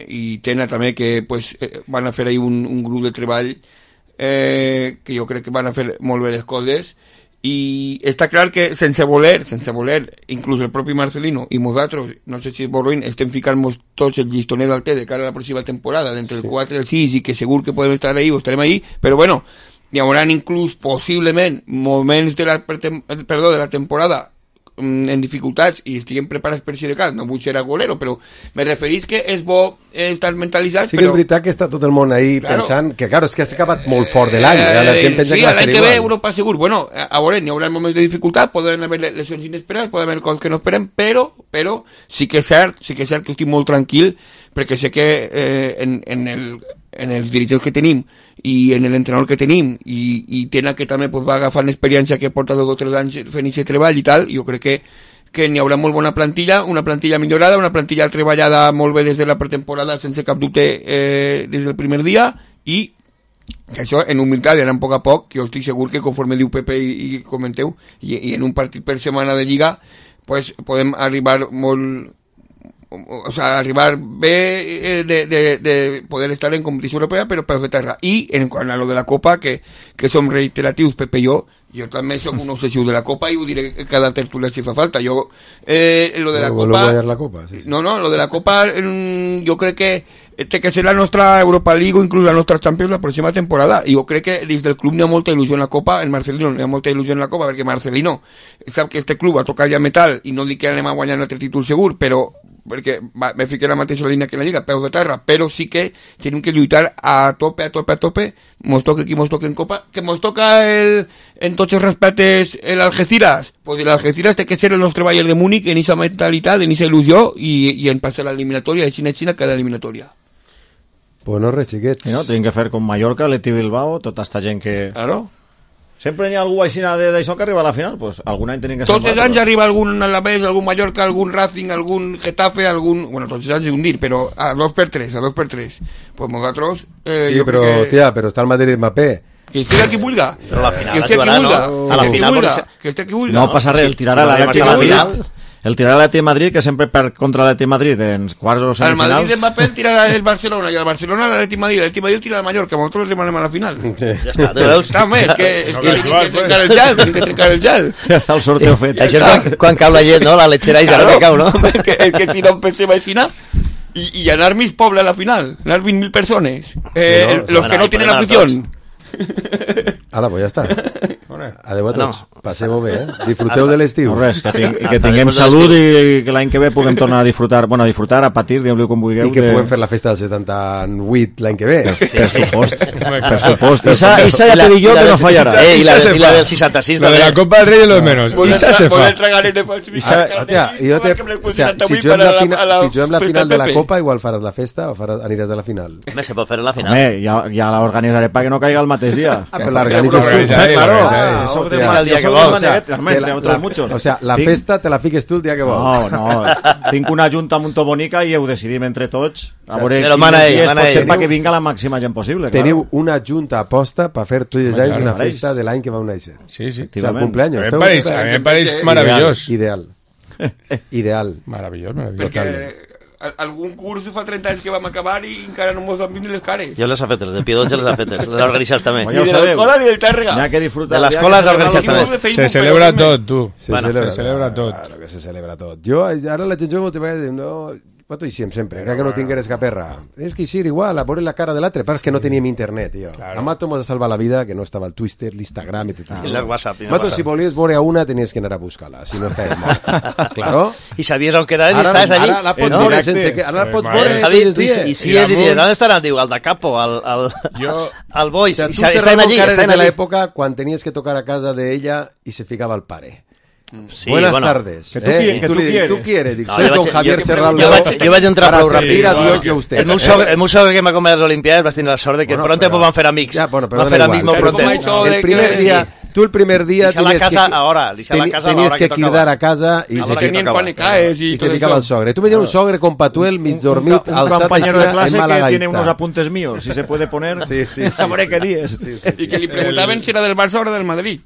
i Tena també, que pues, van a fer ahí un grup de treball que jo crec que van a fer molt bé les coses, i està clar que sense voler, inclús el propi Marcelino i nosaltres, no sé si Borruin, estem ficant-nos tots el llistonet al té de cara a la pròxima temporada, d'entre el 4 i el 6, i que segur que podem estar ahí o estarem ahí, però bueno, hi haurà inclús possiblement moments de la temporada en dificultats i estiguem preparats per si de cas, no vull ser agolero, però me referís que és bo estar mentalitzats. Sí que és veritat que està tot el món ahí pensant que, claro, és que s'ha acabat molt fort de l'any. Sí, l'any que ve Europa segur. Bueno, a veure, n'hi haurà moments de dificultat, poden haver lesions inesperades, poden haver coses que no esperem, però sí que és cert que estic molt tranquil, perquè sé que en els dirigents que tenim i en l'entrenador que tenim i Tena, que també pues, va agafant l'experiència que porta 2 o 3 anys fent aquest treball i tal, jo crec que n'hi haurà molt bona plantilla, una plantilla millorada, una plantilla treballada molt bé des de la pretemporada sense cap dubte des del primer dia, i que això en humilitat i en poc a poc, jo estic segur que conforme diu Pepe i comenteu, i en un partit per setmana de Lliga pues, podem arribar molt... O sea, arribar bé de poder estar en competició europea, però per fer terra. I en quant a lo de la Copa, que som reiteratius, Pepe i jo també soc un obsessiu de la Copa i ho diré cada tertúlia si fa falta. Jo, lo de la Copa... No, lo de la Copa jo crec que té que ser la nostra Europa League o inclús la nostra Champions la pròxima temporada. I jo crec que dins del club n'hi ha molta il·lusió en la Copa, en Marcelino n'hi ha molta il·lusió en la Copa, perquè Marcelino sap que este club ha tocat ja metal, i no dic que anem a guanyar un altre títol segur, però perquè me fiqué la mateixa línia que la Lliga, peus de terra, però sí que tenim que lluitar a tope, mos toca qui mos toca en Copa, que mos toca en tots els respectes l'Algeciras, pues l'Algeciras té que ser el nostre Bayern de Múnich en esa mentalitat, en esa il·lusió i en passar l'eliminatòria de Xina cada eliminatòria. Pues no res, xiquets. No, tenim que fer com Mallorca, Leti Bilbao, tota esta gent que... Claro. Sempre hi ha algú així d'això que arriba a la final, pues algun any tenim que ser... Tots els anys arriba algun Alavés, algun Mallorca, algun Racing, algun Getafe, algun... Bueno, tots els anys és un dir, però a 2x3. Pues nosaltres... Sí, però, hòstia, però està el Madrid Mbappé. Que esté aquí vulga. Però la final la jugarà, no? A la final... Que esté aquí vulga. No passa res, el tirarà a la final. El tirarà l'Atleti de Madrid, que sempre perd contra l'Atleti de Madrid en quarts o semifinals. El Madrid de Mbappé tirarà el Barcelona i el Barcelona l'Atleti de Madrid. L'Atleti de Madrid tirarà el Mallorca. Nosaltres remanem a la final. Sí. Ja està, te veus? Està, home, tenim que trencar el gel. Ja està el sorteo fet. Això és quan cau la llet, no? La lechera i ja no cau, no? Que si no pensem així, i anar mig poble a la final. Anar 20.000 persones. Los que no tienen afición. Ala, pues ja està. Adéu a tots. Passeu-ho bé, Disfruteu de l'estiu. No res, que tinguem salut i que l'any que ve puguem tornar a disfrutar, a patir, digueu-li com vulgueu. I que puguem fer la festa del 78 l'any que ve. Per supost. Esa ja te dic jo que no fallarà. I la del 66 també. La de la Copa del Rey de los menos. Esa se fa. Si juguem la final de la Copa, igual faràs la festa o aniràs a la final. Home, se pot fer a la final. Home, ja l'organitzaré perquè no caiga el mateix dia. Però l'organitzes tu. Claro, eso de el día que vols. O sea, la festa te la fiques tu el dia que vols. No, tinc una junta molt bonica i ho decidim entre tots. A veure quin perquè vinga la màxima gent possible. Teniu una junta aposta per fer tots els anys una festa de l'any que vau néixer. Sí. O sea, el cumpleaños. A mi em pareix meravellós. Ideal. Meravellós. Algun curs fa 30 anys que vam acabar i encara no mos han vist ni les cares. Jo les ha fetes, de Piedotge les ha fetes, les ha organitzat també. Ni de l'escola ni del Tàrrega. De l'escola les ha organitzat també. Se celebra tot, tu. Se celebra tot. Claro que se celebra tot. Jo, ara la gent jove te va dir, no... Quanto hiciem sempre, que no tingueres cap perra. És que ir igual, a veure la cara de l'altre, però és que no teníem internet, tio. A Mato mos ha salvat la vida, que no estava el Twitter, l'Instagram i tot això. El WhatsApp. Mato, si volies veure a una, tenies que anar a buscar-la, si no estaves mort. Claro. I sabies on quedaves i estaves allí. Ara la pots veure sense que... Ara la pots veure tots els dies. I si és, i dius, on estaran? Diu, al de Capo, al Boix. Tu cerrava cares de l'època quan tenies que tocar a casa d'ella i se ficava el pare. Sí, buenas tardes. Que tú quieres. Dic, soy don Javier Serrano. Jo vaig entrar prou ràpid. Adiós a usted. El meu sogre que m'ha comiat les Olimpiades vas tenir la sort de que pronto van fer amics. Van fer amics molt pronto. El primer dia... Tu el primer dia tenies que cridar a casa y se ficaba el sogre. Tú me un sogre con Patuel, mis dormit, un compañero de clase que tiene unos apuntes míos, si se puede poner. Sí. Sabré qué días. Y que le preguntaban si era del Barça o del Madrid.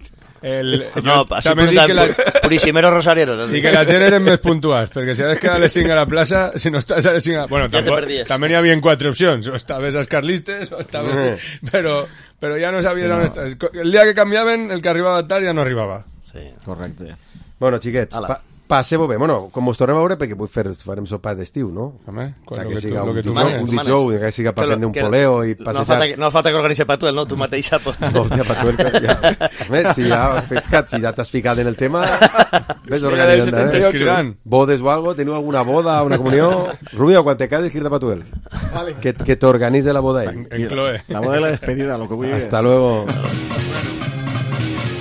No, així preguntant puríssimeros rosarieros. I que la gent eren més puntuals, perquè si has quedat a les 5 a la plaça, si no estàs a les 5 a... Bueno, també hi havia 4 opcions, o estaves als carlistes, o estaves... Però ja no sabies on estaves. El dia que canviaven, el que arribava tard ja no arribava. Sí, correcte. Bueno, xiquets, passeu-ho bé. Bueno, com us tornem a veure, perquè farem sopar d'estiu, no? Home, que siga un dijous, que siga per prendre un poleo i passejar... No falta que organitzi Patuel, no? Tu mateixa pots... No, Patuel, ja... Si ja t'has ficat en el tema, ves organitzant, bodes o algo, teniu alguna boda, una comunió... Rubio, quan te cases, quirda Patuel. Que t'organitze la boda ell. La boda de la despedida, lo que vull dir. Hasta luego.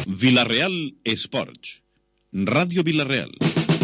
Villarreal Esports. Radio Villarreal.